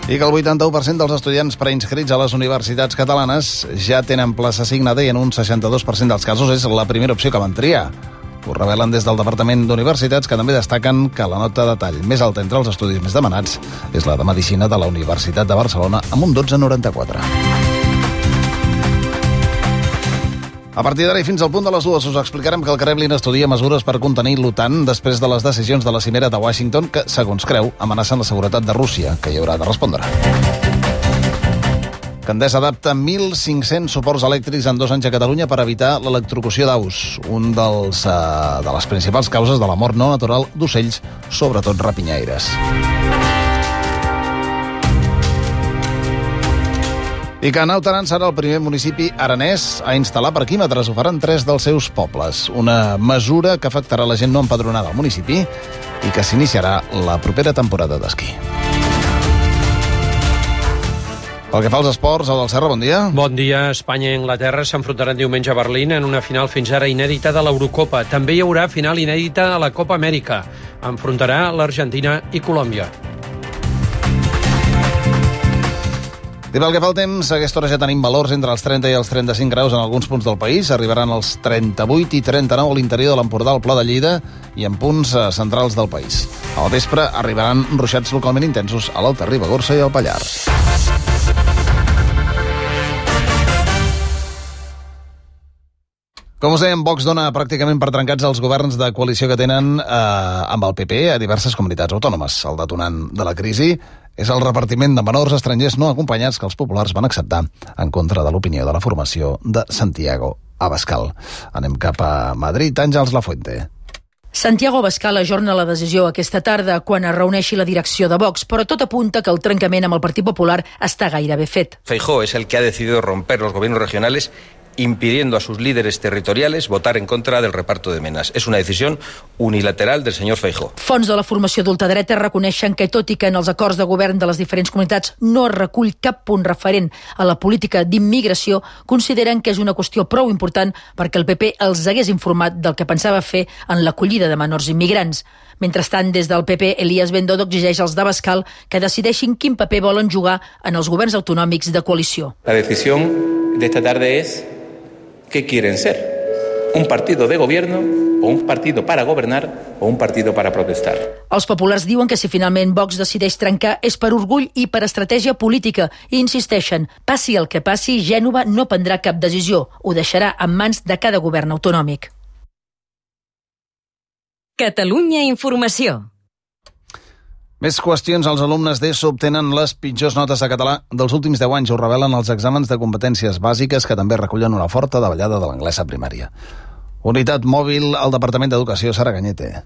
I que el 81% dels estudiants preinscrits a les universitats catalanes ja tenen plaça assignada i en un 62% dels casos és la primera opció que van triar. Ho revelen des del Departament d'Universitats, que també destaquen que la nota de tall més alta entre els estudis més demanats és la de Medicina de la Universitat de Barcelona amb un 12,94. A partir d'ara i fins al punt de les 2 us explicarem que el Kremlin estudia mesures per contenir l'OTAN després de les decisions de la cimera de Washington que, segons creu, amenacen la seguretat de Rússia, que hi haurà de respondre. Que Endesa adapta 1.500 suports elèctrics en 2 anys a Catalunya per evitar l'electrocució d'aus, un de les principals causes de la mort no natural d'ocells, sobretot rapinyaires. I que Naut Aran serà el primer municipi aranès a instal·lar parquímetres. Ho faran 3 dels seus pobles. Una mesura que afectarà la gent no empadronada al municipi i que s'iniciarà la propera temporada d'esquí. Pel que fa als esports, Eudald Serra, bon dia. Bon dia. Espanya i Anglaterra s'enfrontaran diumenge a Berlín en una final fins ara inèdita de l'Eurocopa. També hi haurà final inèdita a la Copa Amèrica. Enfrontarà l'Argentina i Colòmbia. I pel que fa al temps, a aquesta hora ja tenim valors entre els 30 i els 35 graus en alguns punts del país. Arribaran els 38 i 39 a l'interior de l'Empordà, al Pla de Lleida i en punts centrals del país. Al vespre arribaran ruixats localment intensos a l'Alta Ribagorça i al Pallars. Com us dèiem, Vox dona pràcticament per trencats els governs de coalició que tenen amb el PP a diverses comunitats autònomes. El detonant de la crisi és el repartiment de menors estrangers no acompanyats que els populars van acceptar en contra de l'opinió de la formació de Santiago Abascal. Anem cap a Madrid. Àngels Lafuente. Santiago Abascal ajorna la decisió aquesta tarda quan es reuneixi la direcció de Vox, però tot apunta que el trencament amb el Partit Popular està gairebé fet. Feijóo es el que ha decidido romper los gobiernos regionales impidiendo a sus líderes territoriales votar en contra del reparto de menas. Es una decisión unilateral del señor Feijóo. Fons de la formació d'ultradreta reconeixen que, tot i que en els acords de govern de les diferents comunitats no es recull cap punt referent a la política d'immigració, consideren que és una qüestió prou important perquè el PP els hagués informat del que pensava fer en l'acollida de menors immigrants. Mentrestant, des del PP, Elías Bendodo exigeix als d'Abascal que decideixin quin paper volen jugar en els governs autonòmics de coalició. La decisión de esta tarde es ¿qué quieren ser? ¿Un partido de gobierno o un partido para gobernar o un partido para protestar? Els populars diuen que si finalment Vox decideix trencar és per orgull i per estratègia política i insisteixen, passi el que passi, Gènova no prendrà cap decisió, ho deixarà en mans de cada govern autonòmic. Catalunya Informació. Més qüestions. Els alumnes d'ESO obtenen les pitjors notes de català dels últims 10 anys. Ho revelen els exàmens de competències bàsiques que també recullen una forta davallada de l'anglès a primària. Unitat mòbil al Departament d'Educació, Sara Cañete.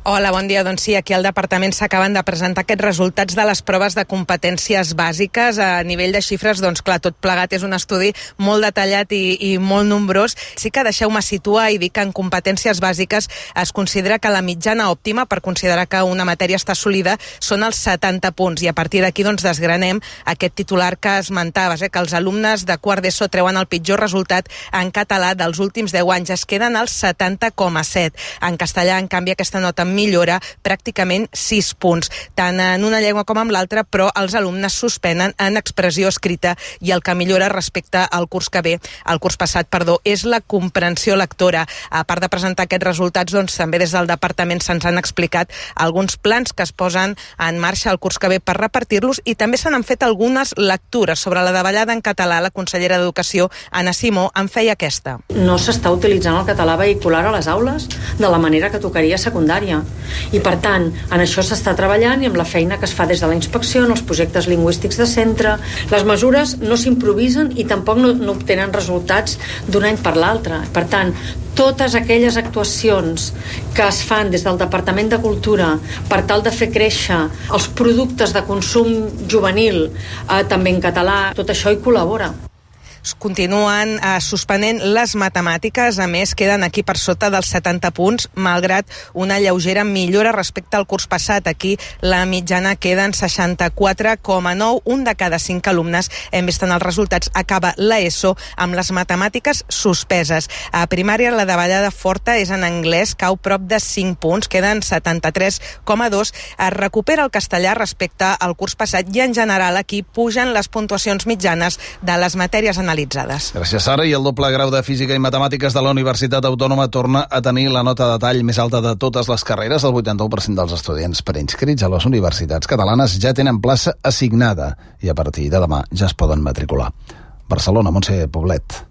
Hola, bon dia. Doncs sí, aquí al Departament s'acaben de presentar aquests resultats de les proves de competències bàsiques. A nivell de xifres, doncs clar, tot plegat és un estudi molt detallat i molt nombrós. Sí que deixeu-me situar i dir que en competències bàsiques es considera que la mitjana òptima per considerar que una matèria està assolida són els 70 punts. I a partir d'aquí doncs desgranem aquest titular que esmentaves, que els alumnes de quart d'ESO treuen el pitjor resultat en català dels últims 10 anys. Es queden als 70,7. En castellà, en canvi, aquesta nota millora pràcticament 6 punts, tant en una llengua com en l'altra, però els alumnes suspenen en expressió escrita i el que millora respecte al curs que ve, el curs passat, és la comprensió lectora. A part de presentar aquests resultats, doncs també des del departament se'ns han explicat alguns plans que es posen en marxa el curs que ve per repartir-los i també se n'han fet algunes lectures sobre la davallada en català. La consellera d'Educació, Anna Simó, en feia aquesta. No s'està utilitzant el català vehicular a les aules de la manera que tocaria a secundària. I per tant, en això s'està treballant i amb la feina que es fa des de la inspecció, en els projectes lingüístics de centre. Les mesures no s'improvisen i tampoc no obtenen resultats d'un any per l'altre. Per tant, totes aquelles actuacions que es fan des del Departament de Cultura per tal de fer créixer els productes de consum juvenil, també en català, tot això hi col·labora. Continuen suspenent les matemàtiques, a més queden aquí per sota dels 70 punts, malgrat una lleugera millora respecte al curs passat. Aquí la mitjana queda en 64,9, un de cada 5 alumnes, hem vist en els resultats, acaba l'ESO amb les matemàtiques suspeses. A primària la davallada forta és en anglès, cau prop de 5 punts, queden 73,2, es recupera el castellà respecte al curs passat i en general aquí pugen les puntuacions mitjanes de les matèries analitzades. Gràcies, Sara. I el doble grau de Física i Matemàtiques de la Universitat Autònoma torna a tenir la nota de tall més alta de totes les carreres. El 81% dels estudiants preinscrits a les universitats catalanes ja tenen plaça assignada i a partir de demà ja es poden matricular. Barcelona, Montse Poblet.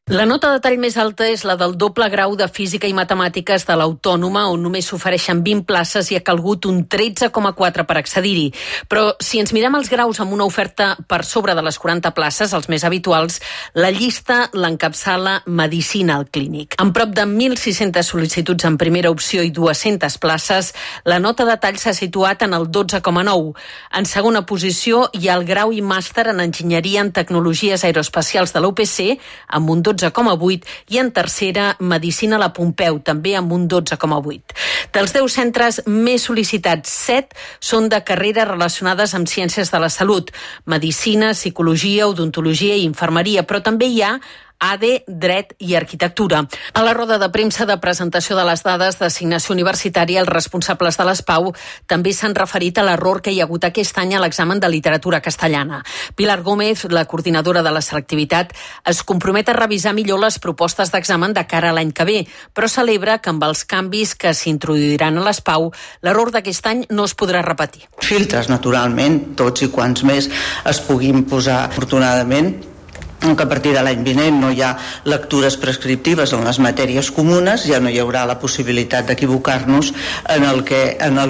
La nota de tall més alta és la del doble grau de Física i Matemàtiques de l'Autònoma, on només s'ofereixen 20 places i ha calgut un 13,4 per accedir-hi. Però si ens mirem els graus amb una oferta per sobre de les 40 places, els més habituals, la llista l'encapçala Medicina al Clínic. Amb prop de 1.600 sol·licituds en primera opció i 200 places, la nota de tall s'ha situat en el 12,9. En segona posició hi ha el grau i màster en Enginyeria en Tecnologies Aeroespacials de la UPC, amb un 12,8, i en tercera, Medicina a la Pompeu, també amb un 12,8. Dels 10 centres més sol·licitats, 7 són de carreres relacionades amb ciències de la salut, medicina, psicologia, odontologia i infermeria, però també hi ha ADE, Dret i Arquitectura. A la roda de premsa de presentació de les dades d'assignació universitària, els responsables de l'ESPAU també s'han referit a l'error que hi ha hagut aquest any a l'examen de literatura castellana. Pilar Gómez, la coordinadora de la selectivitat, es compromet a revisar millor les propostes d'examen de cara a l'any que ve, però celebra que amb els canvis que s'introduiran a l'ESPAU, l'error d'aquest any no es podrà repetir. Filtres, naturalment, tots i quants més es puguin posar, afortunadament, que a partir de l'any vinent no hi ha lectures prescriptives en les matèries comunes, ja no hi haurà la possibilitat d'equivocar-nos en el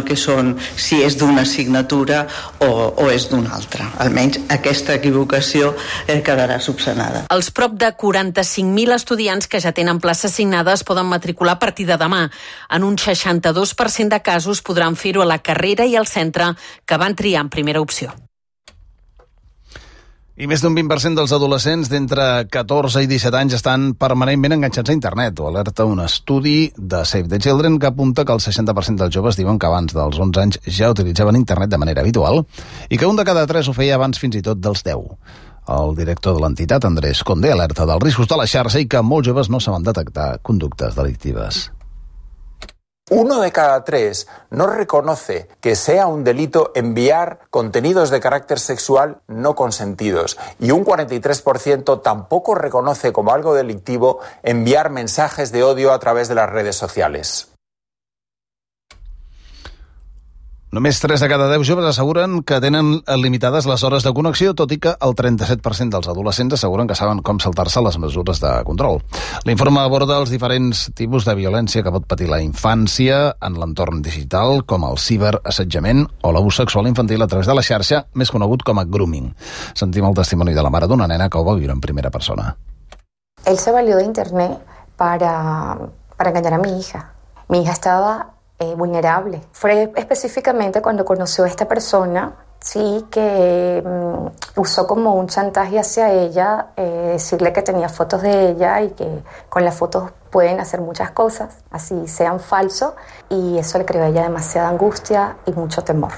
que són, si és d'una assignatura o és d'una altra. Almenys aquesta equivocació quedarà subsanada. Els prop de 45.000 estudiants que ja tenen plaça assignada es poden matricular a partir de demà. En un 62% de casos podran fer-ho a la carrera i al centre que van triar en primera opció. I més d'un 20% dels adolescents d'entre 14 i 17 anys estan permanentment enganxats a internet. Ho alerta un estudi de Save the Children que apunta que el 60% dels joves diuen que abans dels 11 anys ja utilitzaven internet de manera habitual i que un de cada 3 ho feia abans fins i tot dels 10. El director de l'entitat, Andrés Condé, alerta dels riscos de la xarxa i que molts joves no saben detectar conductes delictives. 1 de cada 3 no reconoce que sea un delito enviar contenidos de carácter sexual no consentidos y un 43% tampoco reconoce como algo delictivo enviar mensajes de odio a través de las redes sociales. Només 3 de cada 10 joves asseguren que tenen limitades les hores de connexió, tot i que el 37% dels adolescents asseguren que saben com saltar-se les mesures de control. L'informe aborda els diferents tipus de violència que pot patir la infància en l'entorn digital, com el ciberassetjament o l'abús sexual infantil a través de la xarxa, més conegut com a grooming. Sentim el testimoni de la mare d'una nena que ho va viure en primera persona. Él se valió de internet para engañar a mi hija. Mi hija estaba vulnerable. Fue específicamente cuando conoció a esta persona, sí, que usó como un chantaje hacia ella, decirle que tenía fotos de ella y que con las fotos pueden hacer muchas cosas, así sean falsos, y eso le creó a ella demasiada angustia y mucho temor.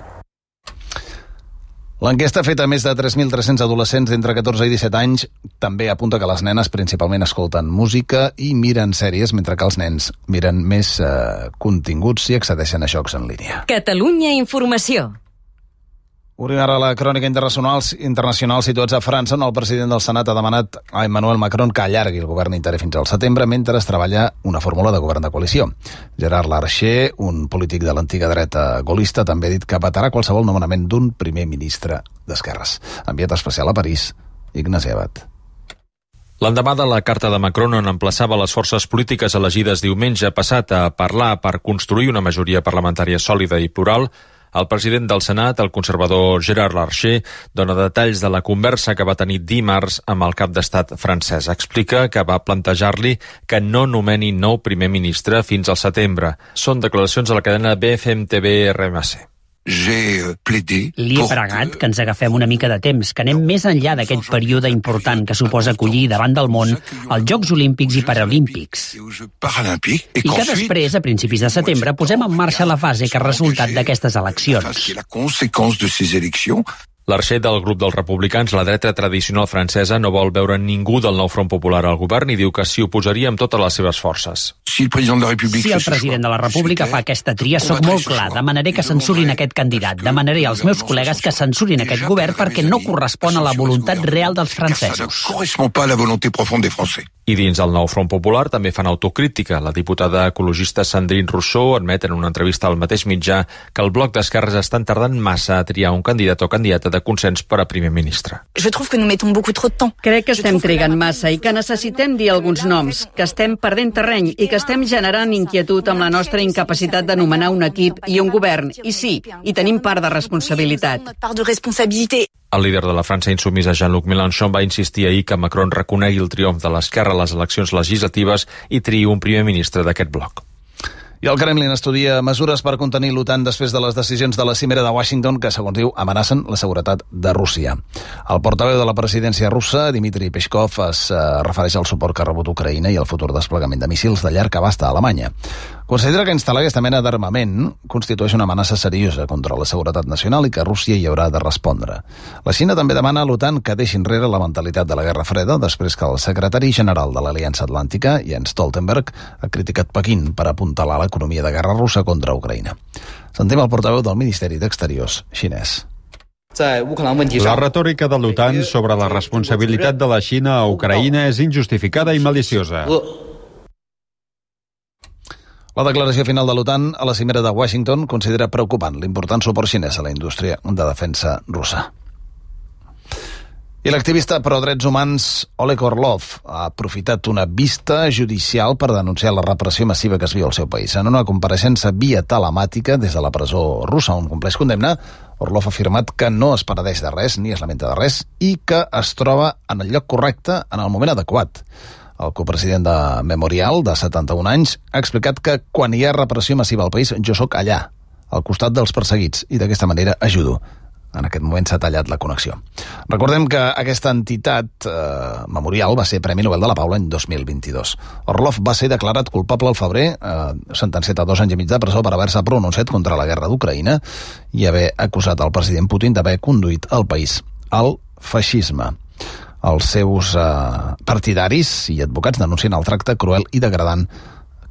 L'enquesta feta a més de 3.300 adolescents d'entre 14 i 17 anys també apunta que les nenes principalment escolten música i miren sèries, mentre que els nens miren més continguts i accedeixen a jocs en línia. Catalunya Informació. Obrim ara la crònica internacional situats a França, on el president del Senat ha demanat a Emmanuel Macron que allargui el govern interí fins al setembre mentre es treballa una fórmula de govern de coalició. Gerard Larcher, un polític de l'antiga dreta gaullista, també ha dit que vetarà qualsevol nomenament d'un primer ministre d'esquerres. Enviat especial a París, Ignasi Abad. L'endemà de la carta de Macron, on emplaçava les forces polítiques elegides diumenge passat a parlar per construir una majoria parlamentària sòlida i plural, el president del Senat, el conservador Gerard Larcher, dona detalls de la conversa que va tenir dimarts amb el cap d'estat francès. Explica que va plantejar-li que no nomeni nou primer ministre fins al setembre. Són declaracions a la cadena BFM TV RMC. Li he pregat que ens agafem una mica de temps, que anem més enllà d'aquest període important que suposa acollir davant del món els Jocs Olímpics i Paralímpics. I que després, a principis de setembre, posem en marxa la fase que ha resultat d'aquestes eleccions. Larcher, del grup dels republicans, la dreta tradicional francesa, no vol veure ningú del nou Front Popular al govern i diu que s'hi oposaria amb totes les seves forces. Si el president de la República fa aquesta tria, sóc molt clar. Demanaré que censurin aquest candidat. Demanaré als meus col·legues que censurin aquest govern perquè no correspon a la voluntat real dels francesos. I dins el nou Front Popular també fan autocrítica. La diputada ecologista Sandrine Rousseau admet en una entrevista al mateix mitjà que el bloc d'esquerres estan tardant massa a triar un candidat o candidata de consens per a primer ministre. Crec que estem trigant massa i que necessitem dir alguns noms, que estem perdent terreny i que estem generant inquietud amb la nostra incapacitat de nomenar un equip i un govern. I sí, hi tenim part de responsabilitat. El líder de la França insubmisa, Jean-Luc Mélenchon, va insistir ahir que Macron reconegui el triomf de l'esquerra a les eleccions legislatives i triï un primer ministre d'aquest bloc. I el Kremlin estudia mesures per contenir l'OTAN després de les decisions de la cimera de Washington que, segons diu, amenacen la seguretat de Rússia. El portaveu de la presidència russa, Dmitry Peskov, es refereix al suport que ha rebut Ucraïna i al futur desplegament de míssils de llarg abast a Alemanya. Considera que instal·lar aquesta mena d'armament constitueix una amenaça seriosa contra la seguretat nacional i que Rússia hi haurà de respondre. La Xina també demana a l'OTAN que deixi enrere la mentalitat de la Guerra Freda després que el secretari general de l'Aliança Atlàntica, Jens Stoltenberg, ha criticat Pequín per apuntalar l'economia de guerra russa contra Ucraïna. Sentim el portaveu del Ministeri d'Exteriors xinès. La retòrica de l'OTAN sobre la responsabilitat de la Xina a Ucraïna és injustificada i maliciosa. La declaració final de l'OTAN a la cimera de Washington considera preocupant l'important suport xinès a la indústria de defensa russa. I l'activista pro drets humans Oleg Orlov ha aprofitat una vista judicial per denunciar la repressió massiva que es viu al seu país. En una compareixença via telemàtica des de la presó russa on compleix condemna, Orlov ha afirmat que no es penedeix de res ni es lamenta de res i que es troba en el lloc correcte en el moment adequat. El copresident de Memorial, de 71 anys, ha explicat que quan hi ha repressió massiva al país, jo sóc allà, al costat dels perseguits, i d'aquesta manera ajudo. En aquest moment s'ha tallat la connexió. Recordem que aquesta entitat, Memorial, va ser Premi Nobel de la Pau l'any 2022. Orlov va ser declarat culpable al febrer, sentenciat a 2 anys i mig de presó per haver-se pronunciat contra la guerra d'Ucraïna i haver acusat el president Putin d'haver conduït el país al feixisme. Els seus partidaris i advocats denuncien el tracte cruel i degradant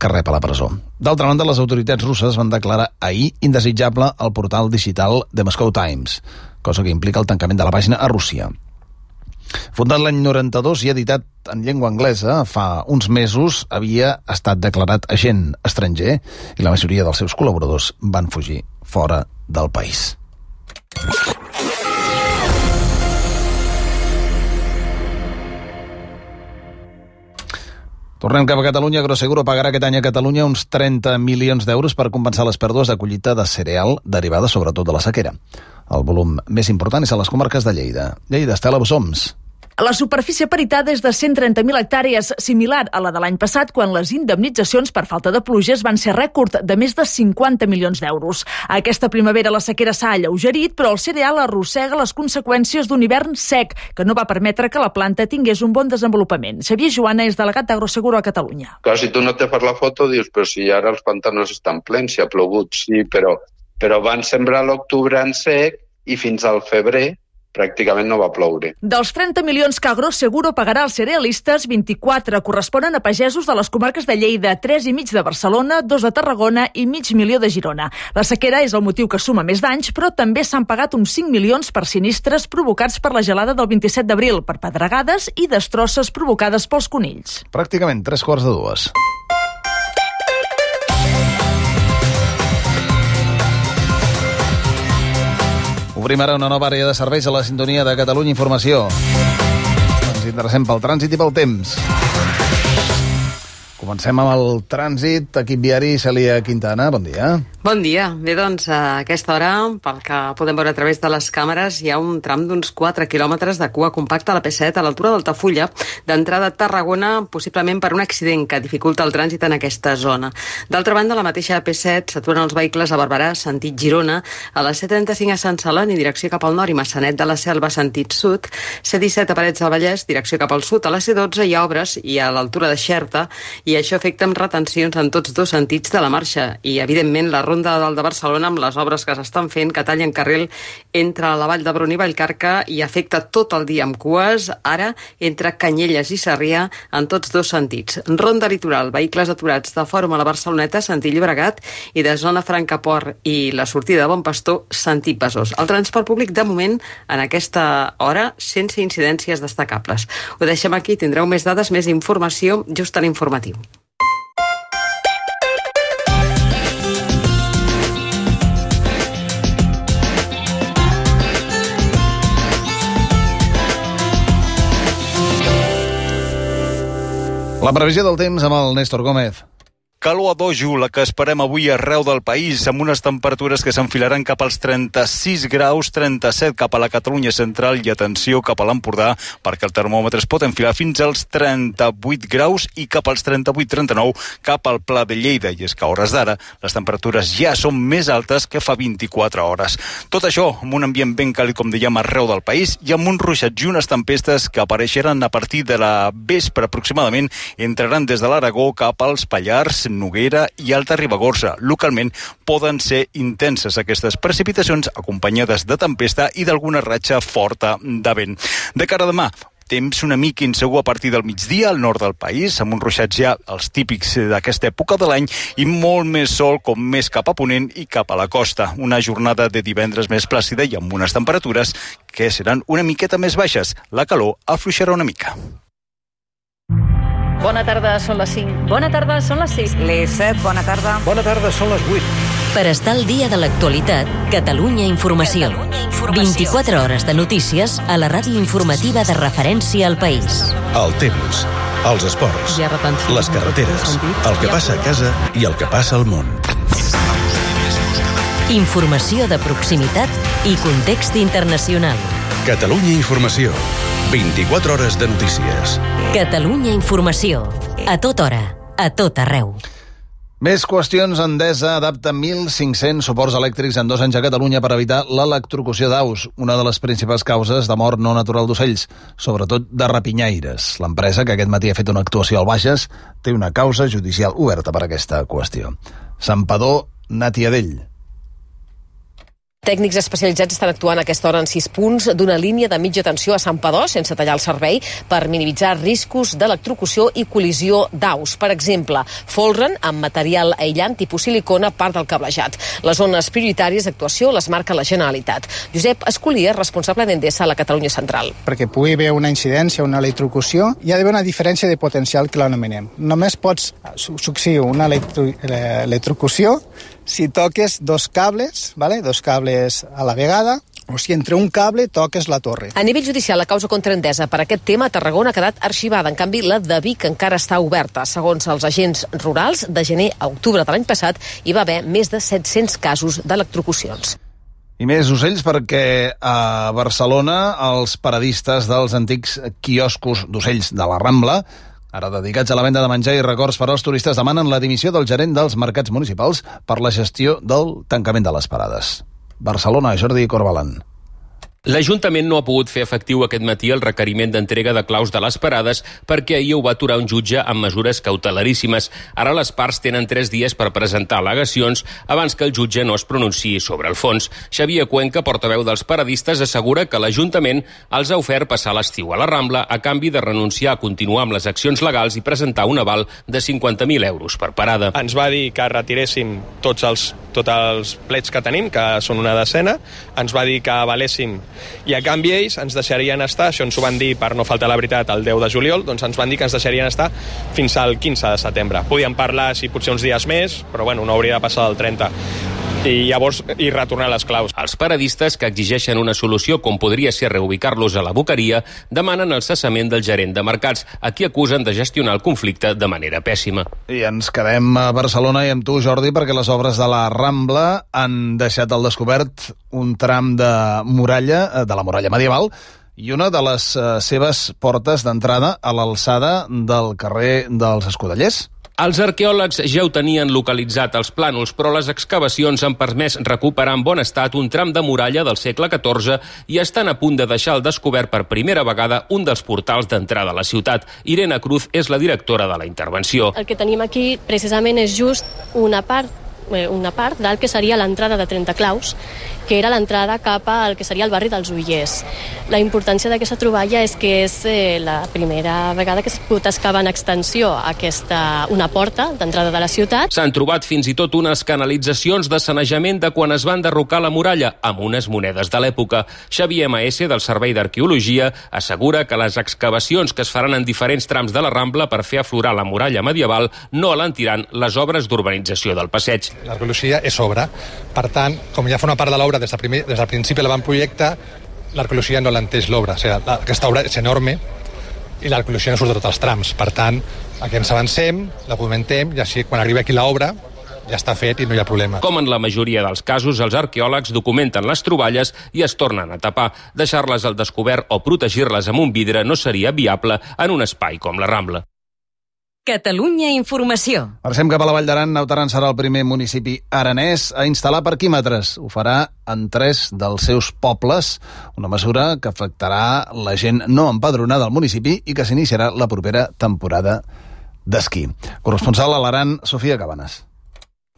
que rep a la presó. D'altra banda, les autoritats russes van declarar ahir indesitjable el portal digital The Moscow Times, cosa que implica el tancament de la pàgina a Rússia. Fundat l'any 92 i editat en llengua anglesa, fa uns mesos havia estat declarat agent estranger i la majoria dels seus col·laboradors van fugir fora del país. Tornem cap a Catalunya. Agroseguro pagarà aquest any a Catalunya uns 30 milions d'euros per compensar les pèrdues de collita de cereal derivades sobretot de la sequera. El volum més important és a les comarques de Lleida. Lleida, Estela Bossoms. La superfície peritada és de 130.000 hectàrees, similar a la de l'any passat, quan les indemnitzacions per falta de pluges van ser rècord de més de 50 milions d'euros. Aquesta primavera la sequera s'ha alleugerit, però el cereal arrossega les conseqüències d'un hivern sec, que no va permetre que la planta tingués un bon desenvolupament. Xavier Joana és delegat d'Agroseguro a Catalunya. Clar, si tu no te fas la foto, dius, però si ara els pantanos estan plens, si ha plogut, sí, però van sembrar l'octubre en sec i fins al febrer pràcticament no va ploure. Dels 30 milions que Agroseguro pagarà als cerealistes, 24 corresponen a pagesos de les comarques de Lleida, 3,5 de Barcelona, 2 de Tarragona i mig milió de Girona. La sequera és el motiu que suma més danys, però també s'han pagat uns 5 milions per sinistres provocats per la gelada del 27 d'abril, per pedregades i destrosses provocades pels conills. Pràcticament 3:45. Obrim ara una nova àrea de serveis a la sintonia de Catalunya Informació. Ens interessem pel trànsit i pel temps. Comencem amb el trànsit. Equip viari, Cèlia Quintana, bon dia. Bon dia. Bé, doncs, a aquesta hora, pel que podem veure a través de les càmeres, hi ha un tram d'uns 4 quilòmetres de cua compacta a la P7 a l'altura d'Altafulla, d'entrada a Tarragona, possiblement per un accident que dificulta el trànsit en aquesta zona. D'altra banda, a la mateixa P7 s'aturen els vehicles a Barberà, sentit Girona, a la C35 a Sant Celoni, direcció cap al nord, i Massanet de la Selva, sentit sud, C17 a Parets del Vallès, direcció cap al sud, a la C12 hi ha obres i a l'altura de Xerta, i això afecta amb retencions en tots dos sentits de la marxa, i evidentment la Ronda de Dalt de Barcelona, amb les obres que s'estan fent, que tallen carril entre la Vall d'Hebron i Vallcarca i afecta tot el dia amb cues, ara entre Canyelles i Sarrià en tots dos sentits. Ronda Litoral, vehicles aturats de Fòrum a la Barceloneta, sentit Llobregat, i de Zona Franca Port i la sortida de Bon Pastor, sentit Besòs. El transport públic, de moment, en aquesta hora, sense incidències destacables. Ho deixem aquí, tindreu més dades, més informació just a l'informatiu. La previsió del temps amb el Néstor Gómez. Calor a dojo, la que esperem avui arreu del país, amb unes temperatures que s'enfilaran cap als 36 graus, 37 cap a la Catalunya central i atenció cap a l'Empordà, perquè el termòmetre es pot enfilar fins als 38 graus i cap als 38-39 cap al Pla de Lleida. I és que a hores d'ara les temperatures ja són més altes que fa 24 hores. Tot això amb un ambient ben càlid, com dèiem, arreu del país i amb uns ruixats i unes tempestes que apareixeran a partir de la vespre aproximadament, entraran des de l'Aragó cap als Pallars, Noguera i Alta Ribagorça. Localment poden ser intenses aquestes precipitacions acompanyades de tempesta i d'alguna ratxa forta de vent. De cara a demà, temps una mica insegur a partir del migdia al nord del país, amb uns ruixats ja els típics d'aquesta època de l'any i molt més sol com més cap a ponent i cap a la costa. Una jornada de divendres més plàcida i amb unes temperatures que seran una miqueta més baixes. La calor afluixarà una mica. Bona tarda, són les 5. Bona tarda, són les 6. Les 7, bona tarda. Bona tarda, són les 8. Per estar al dia de l'actualitat, Catalunya Informació. 24 hores de notícies a la ràdio informativa de referència al país. El temps, els esports, les carreteres, el que passa a casa i el que passa al món. Informació de proximitat i context internacional. Catalunya Informació. 24 hores de notícies. Catalunya Informació. A tota hora, a tot arreu. Més qüestions. Endesa adapta 1.500 suports elèctrics en 2 anys a Catalunya per evitar l'electrocució d'aus, una de les principals causes de mort no natural d'ocells, sobretot de rapinyaires. L'empresa, que aquest matí ha fet una actuació al Bages, té una causa judicial oberta per aquesta qüestió. Santpedor, Natiadell. Tècnics especialitzats estan actuant a aquesta hora en 6 punts d'una línia de mitja tensió a Santpedor, sense tallar el servei, per minimitzar riscos d'electrocució i col·lisió d'aus. Per exemple, folren amb material aïllant tipus silicona part del cablejat. Les zones prioritàries d'actuació les marca la Generalitat. Josep Escolia, responsable d'Endesa a la Catalunya Central. Perquè pugui haver una incidència, una electrocució, hi ha d'haver una diferència de potencial que l'anomenem. Només pots succeir una electrocució si toques 2 cables, ¿vale? 2 cables a la vegada, o si entre un cable toques la torre. A nivell judicial, la causa contra Endesa per aquest tema a Tarragona ha quedat arxivada. En canvi, la de Vic encara està oberta. Segons els agents rurals, de gener a octubre de l'any passat hi va haver més de 700 casos d'electrocucions. I més ocells perquè a Barcelona els paradistes dels antics quioscos d'ocells de la Rambla, ara dedicats a la venda de menjar i records per als turistes, demanen la dimissió del gerent dels mercats municipals per la gestió del tancament de les parades. Barcelona, Jordi Corbalan. L'Ajuntament no ha pogut fer efectiu aquest matí el requeriment d'entrega de claus de les parades perquè ahir ho va aturar un jutge amb mesures cautelaríssimes. Ara les parts tenen 3 dies per presentar al·legacions abans que el jutge no es pronunciï sobre el fons. Xavier Cuenca, portaveu dels paradistes, assegura que l'Ajuntament els ha ofert passar l'estiu a la Rambla a canvi de renunciar a continuar amb les accions legals i presentar un aval de 50.000 euros per parada. Ens va dir que retiréssim tots els plets que tenim, que són una decena, ens va dir que avaléssim i a canvi ells ens deixarien estar, això ens ho van dir per no faltar la veritat el 10 de juliol, doncs ens van dir que ens deixarien estar fins al 15 de setembre. Podíem parlar si potser uns dies més, però bueno, no hauria de passar del 30. I llavors retornar les claus. Els paradistes, que exigeixen una solució com podria ser reubicar-los a la Boqueria, demanen el cessament del gerent de mercats, a qui acusen de gestionar el conflicte de manera pèssima. I ens quedem a Barcelona i amb tu, Jordi, perquè les obres de la Rambla han deixat al descobert un tram de muralla, de la muralla medieval, i una de les seves portes d'entrada a l'alçada del carrer dels Escudellers. Els arqueòlegs ja ho tenien localitzat als plànols, però les excavacions han permès recuperar en bon estat un tram de muralla del segle XIV i estan a punt de deixar al descobert per primera vegada un dels portals d'entrada a la ciutat. Irene Cruz és la directora de la intervenció. El que tenim aquí precisament és just una part del que seria l'entrada de Trentaclaus, que era l'entrada cap al que seria el barri dels Ullers. La importància d'aquesta troballa és que és la primera vegada que s'ha pogut excavar en extensió una porta d'entrada de la ciutat. S'han trobat fins i tot unes canalitzacions de sanejament de quan es va enderrocar la muralla, amb unes monedes de l'època. Xavier Maese, del Servei d'Arqueologia, assegura que les excavacions que es faran en diferents trams de la Rambla per fer aflorar la muralla medieval no alentiran les obres d'urbanització del passeig. L'arqueologia és obra. Per tant, com ja fa una part de l'obra des del principi l'avantprojecte, l'arqueologia no l'entès l'obra. O sigui, aquesta obra és enorme i l'arqueologia no surt de tots els trams. Per tant, aquí ens avancem, la documentem i així quan arribi aquí l'obra ja està fet i no hi ha problema. Com en la majoria dels casos, els arqueòlegs documenten les troballes i es tornen a tapar. Deixar-les al descobert o protegir-les amb un vidre no seria viable en un espai com la Rambla. Catalunya Informació. Marxem cap a la Vall d'Aran. Naut Aran serà el primer municipi aranès a instal·lar parquímetres. Ho farà en 3 dels seus pobles, una mesura que afectarà la gent no empadronada al municipi i que s'iniciarà la propera temporada d'esquí. Corresponsal a l'Aran, Sofia Cabanes.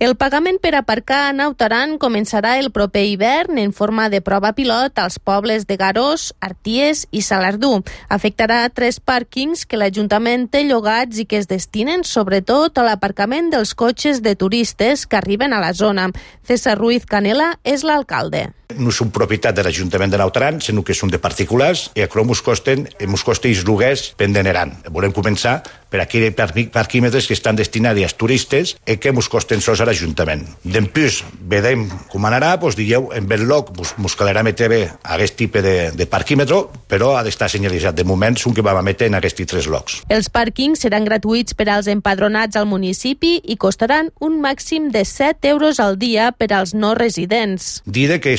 El pagament per aparcar a Naut Aran començarà el proper hivern en forma de prova pilot als pobles de Garós, Arties i Salardú. Afectarà 3 pàrquings que l'Ajuntament té llogats i que es destinen sobretot a l'aparcament dels cotxes de turistes que arriben a la zona. César Ruiz Canela és l'alcalde. No són propietat de l'Ajuntament de Naut Aran, sinó que són de particulars i això ens costen els lloguers pendent. Volem començar per aquells parquímetres que estan destinats als turistes i que ens costen sols a l'Ajuntament. Després, vedem com anarà, dieu, en ben lloc ens calarà metre bé aquest tipus de parquímetre, però ha d'estar senyalitzat. De moment, són que vam metre en aquests 3 llocs. Els pàrquings seran gratuïts per als empadronats al municipi i costaran un màxim de 7 euros al dia per als no residents. Dir que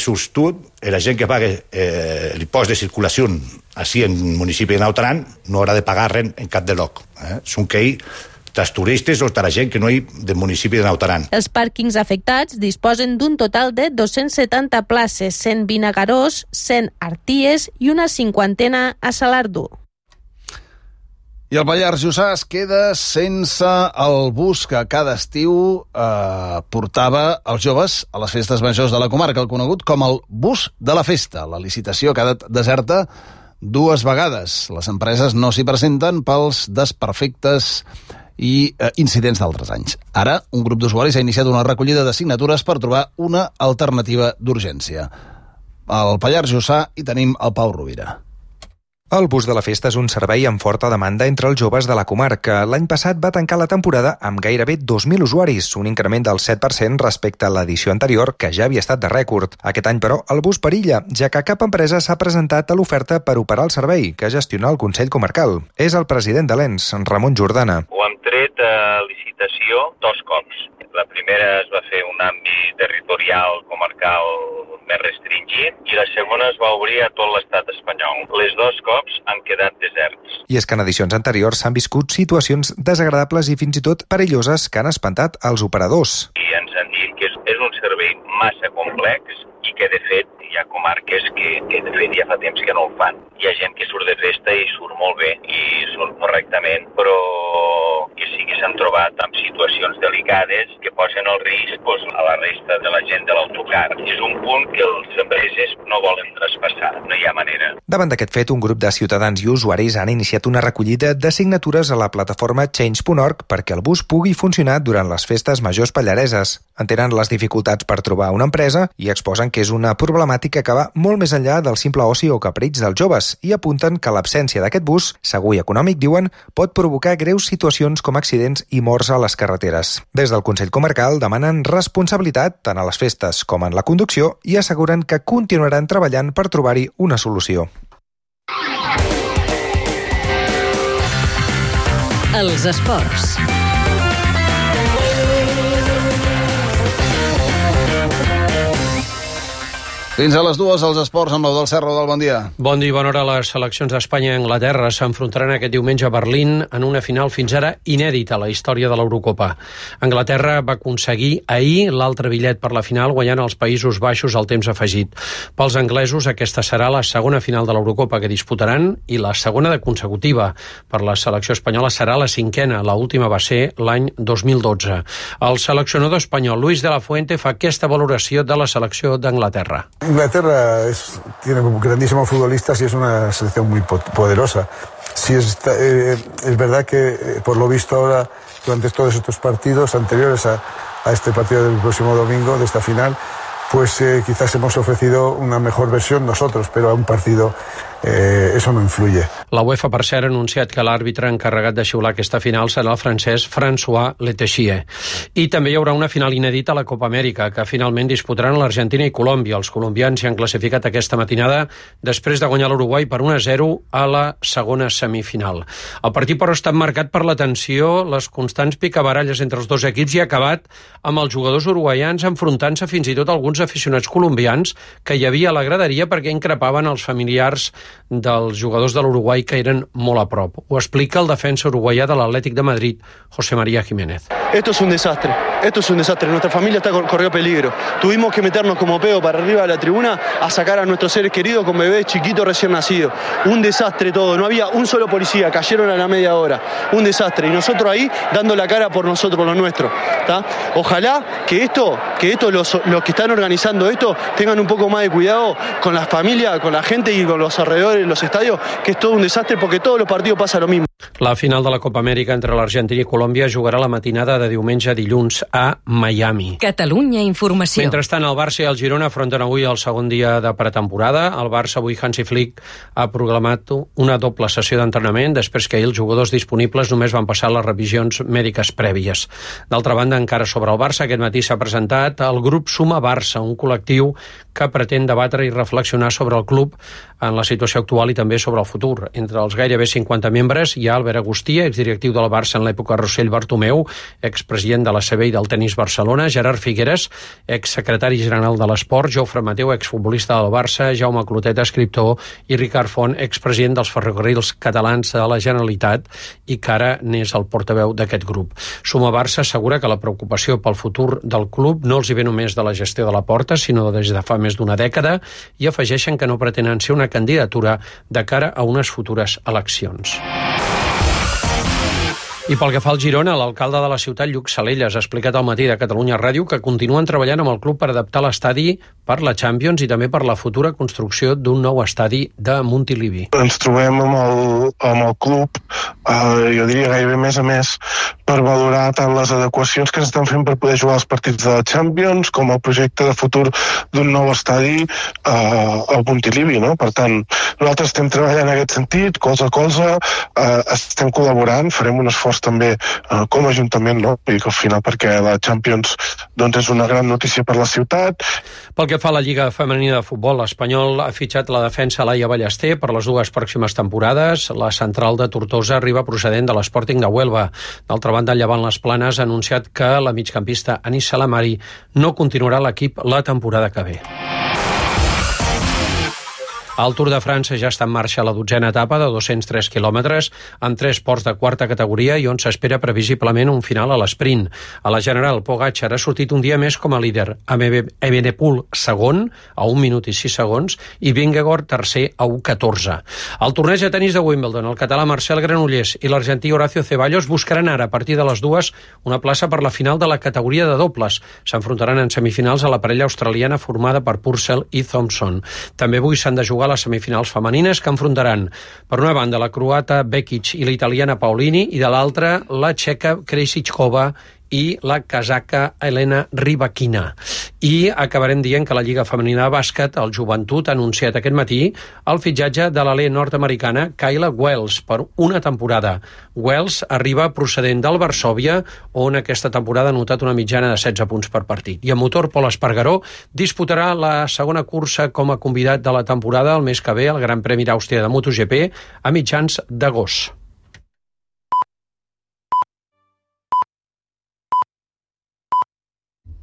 la gent que paga l'impost de circulació així en el municipi de Naut Aran no haurà de pagar res en cap de lloc. Són que dels turistes o de la gent que no hi del municipi de Naut Aran. Els pàrquings afectats disposen d'un total de 270 places, 120 a Garós, 100 a Arties i una 50 a Salardú. I el Pallars Jussà es queda sense el bus que cada estiu portava els joves a les festes majors de la comarca, el conegut com el bus de la festa. La licitació ha quedat deserta 2 vegades. Les empreses no s'hi presenten pels desperfectes i incidents d'altres anys. Ara, un grup d'usuaris ha iniciat una recollida de signatures per trobar una alternativa d'urgència. Al Pallars Jussà hi tenim el Pau Rovira. El bus de la festa és un servei amb forta demanda entre els joves de la comarca. L'any passat va tancar la temporada amb gairebé 2.000 usuaris, un increment del 7% respecte a l'edició anterior, que ja havia estat de rècord. Aquest any, però, el bus perilla, ja que cap empresa s'ha presentat a l'oferta per operar el servei, que gestiona el Consell Comarcal. És el president de l'ENS, Ramon Jordana. Ho hem tret a licitació 2 cops. La primera es va fer un àmbit territorial comarcal més restringit la segona es va obrir a tot l'estat espanyol. Les 2 cops han quedat deserts. I és que en edicions anteriors s'han viscut situacions desagradables i fins i tot perilloses que han espantat els operadors. I ens han dit que és un servei massa complex i que, de fet, hi ha comarques que de fet ja fa temps que no el fan. Hi ha gent que surt de festa i surt molt bé i surt correctament, però que sí que s'han trobat amb situacions delicades que posen el risc a la resta de la gent de l'autocar. És un punt que les empreses no volen traspassar, no hi ha manera. Davant d'aquest fet, un grup de ciutadans i usuaris han iniciat una recollida de signatures a la plataforma Change.org perquè el bus pugui funcionar durant les festes majors pallareses. Entenen les dificultats per trobar una empresa i exposen que és una problemàtica que va molt més enllà del simple oci o capriig dels joves i apunten que l'absència d'aquest bus, segur i econòmic, diuen, pot provocar greus situacions com accidents i morts a les carreteres. Des del Consell Comarcal demanen responsabilitat tant a les festes com en la conducció i asseguren que continuaran treballant per trobar-hi una solució. Els esports. Fins a les 2, els esports amb l'Eudald Serra. Del bon dia. Bon dia i bona hora. Les seleccions d'Espanya i Anglaterra s'enfrontaran aquest diumenge a Berlín en una final fins ara inèdita a la història de l'Eurocopa. Anglaterra va aconseguir ahir l'altre bitllet per la final guanyant els Països Baixos al temps afegit. Pels anglesos aquesta serà la segona final de l'Eurocopa que disputaran i la segona de consecutiva. Per la selecció espanyola serà la 5a, l'última va ser l'any 2012. El seleccionador espanyol Luis de la Fuente fa aquesta valoració de la selecció d'Anglaterra. Inglaterra tiene grandísimos futbolistas y es una selección muy poderosa. Sí, es verdad que por lo visto ahora, durante todos estos partidos anteriores a este partido del próximo domingo, de esta final, pues quizás hemos ofrecido una mejor versión nosotros, pero a un partido eso no influye. La UEFA, per cert, ha anunciat que l'àrbitre encarregat de xiular aquesta final serà el francès François Letexier. I també hi haurà una final inèdita a la Copa Amèrica, que finalment disputaran l'Argentina i Colòmbia. Els colombians s'hi han classificat aquesta matinada després de guanyar l'Uruguai per 1-0 a la segona semifinal. El partit, però, ha estat marcat per la tensió, les constants picabaralles entre els dos equips i ha acabat amb els jugadors uruguaians enfrontant-se fins i tot alguns aficionats colombians que hi havia a la graderia perquè increpaven els familiars dels jugadors de l'Uruguai que eren molt a prop. Ho explica el defensa uruguaià de l'Atlètic de Madrid, José María Jiménez. Esto es un desastre. Nuestra familia corrió peligro. Tuvimos que meternos como pedo para arriba de la tribuna a sacar a nuestros seres queridos con bebés chiquitos recién nacidos. Un desastre todo. No había un solo policía. Cayeron a la media hora. Un desastre. Y nosotros ahí dando la cara por nosotros, por lo nuestro. ¿Tá? Ojalá que los que están organizando esto tengan un poco más de cuidado con las familias, con la gente y con los alrededores de los estadios, que es todo un desastre porque todos los partidos pasa lo mismo. La final de la Copa Amèrica entre l'Argentina i Colòmbia jugarà la matinada de diumenge a dilluns a Miami. Catalunya Informació. Mentrestant, el Barça i el Girona afronten avui el segon dia de pretemporada. El Barça, avui Hansi Flick ha proclamat una doble sessió d'entrenament després que ahir els jugadors disponibles només van passar les revisions mèdiques prèvies. D'altra banda, encara sobre el Barça, aquest matí s'ha presentat el grup Suma Barça, un col·lectiu que pretén debatre i reflexionar sobre el club en la situació actual i també sobre el futur. Entre els gairebé 50 membres hi ha Albert Agustí, exdirectiu del Barça en l'època Rossell Bartomeu, expresident de la CB i del Tenis Barcelona, Gerard Figueres, exsecretari general de l'Esport, Jofre Mateu, exfutbolista del Barça, Jaume Clotet, escriptor, i Ricard Font, expresident dels Ferrocarrils Catalans de la Generalitat i que ara n'és el portaveu d'aquest grup. Suma Barça assegura que la preocupació pel futur del club no els hi ve només de la gestió de la Porta, sinó des de fa més d'una dècada, i afegeixen que no pretenen ser una candidatura de cara a unes futures eleccions. I pel que fa al Girona, l'alcalde de la ciutat, Lluc Salelles, ha explicat al matí de Catalunya Ràdio que continuen treballant amb el club per adaptar l'estadi per la Champions i també per la futura construcció d'un nou estadi de Montilivi. Ens trobem amb el club, jo diria gairebé més a més, per valorar tant les adequacions que s'estan fent per poder jugar els partits de la Champions com el projecte de futur d'un nou estadi al Montilivi, no? Per tant, nosaltres estem treballant en aquest sentit, colze a colze, estem col·laborant, farem un esforç també com a Ajuntament, no? I que al final, perquè la Champions doncs és una gran notícia per la ciutat. Pel que fa a la Lliga Femenina de Futbol, l'Espanyol ha fitxat la defensa Laia Ballester per les dues pròximes temporades. La central de Tortosa arriba procedent de l'Sporting de Huelva. D'altra banda, el Llevant Les Planes ha anunciat que la migcampista Anis Salamari no continuarà a l'equip la temporada que ve. El Tour de França ja està en marxa a la 12a etapa de 203 quilòmetres, amb 3 ports de quarta categoria i on s'espera previsiblement un final a l'esprint. A la general, Pogačar ha sortit un dia més com a líder, amb Evenepoel segon, a 1 minut i 6 segons, i Vingegaard tercer a 1:14. Al torneig de tenis de Wimbledon, el català Marcel Granollers i l'argentí Horacio Ceballos buscaran ara, a partir de les 2, una plaça per la final de la categoria de dobles. S'enfrontaran en semifinals a la parella australiana formada per Purcell i Thompson. També avui s'han de jugar les semifinals femenines que enfrontaran, per una banda, la croata Bekic i la italiana Paolini, i de l'altra, la txeca Krejcikova i la casaca Elena Rybakina. I acabarem dient que la Lliga Femenina de Bàsquet, el Joventut, ha anunciat aquest matí el fitxatge de l'alè nord-americana Kayla Wells per una temporada. Wells arriba procedent del Varsòvia, on aquesta temporada ha notat una mitjana de 16 punts per partit. I el motor Pol Espargaró disputarà la segona cursa com a convidat de la temporada el mes que ve al Gran Premi d'Àustria de MotoGP a mitjans d'agost.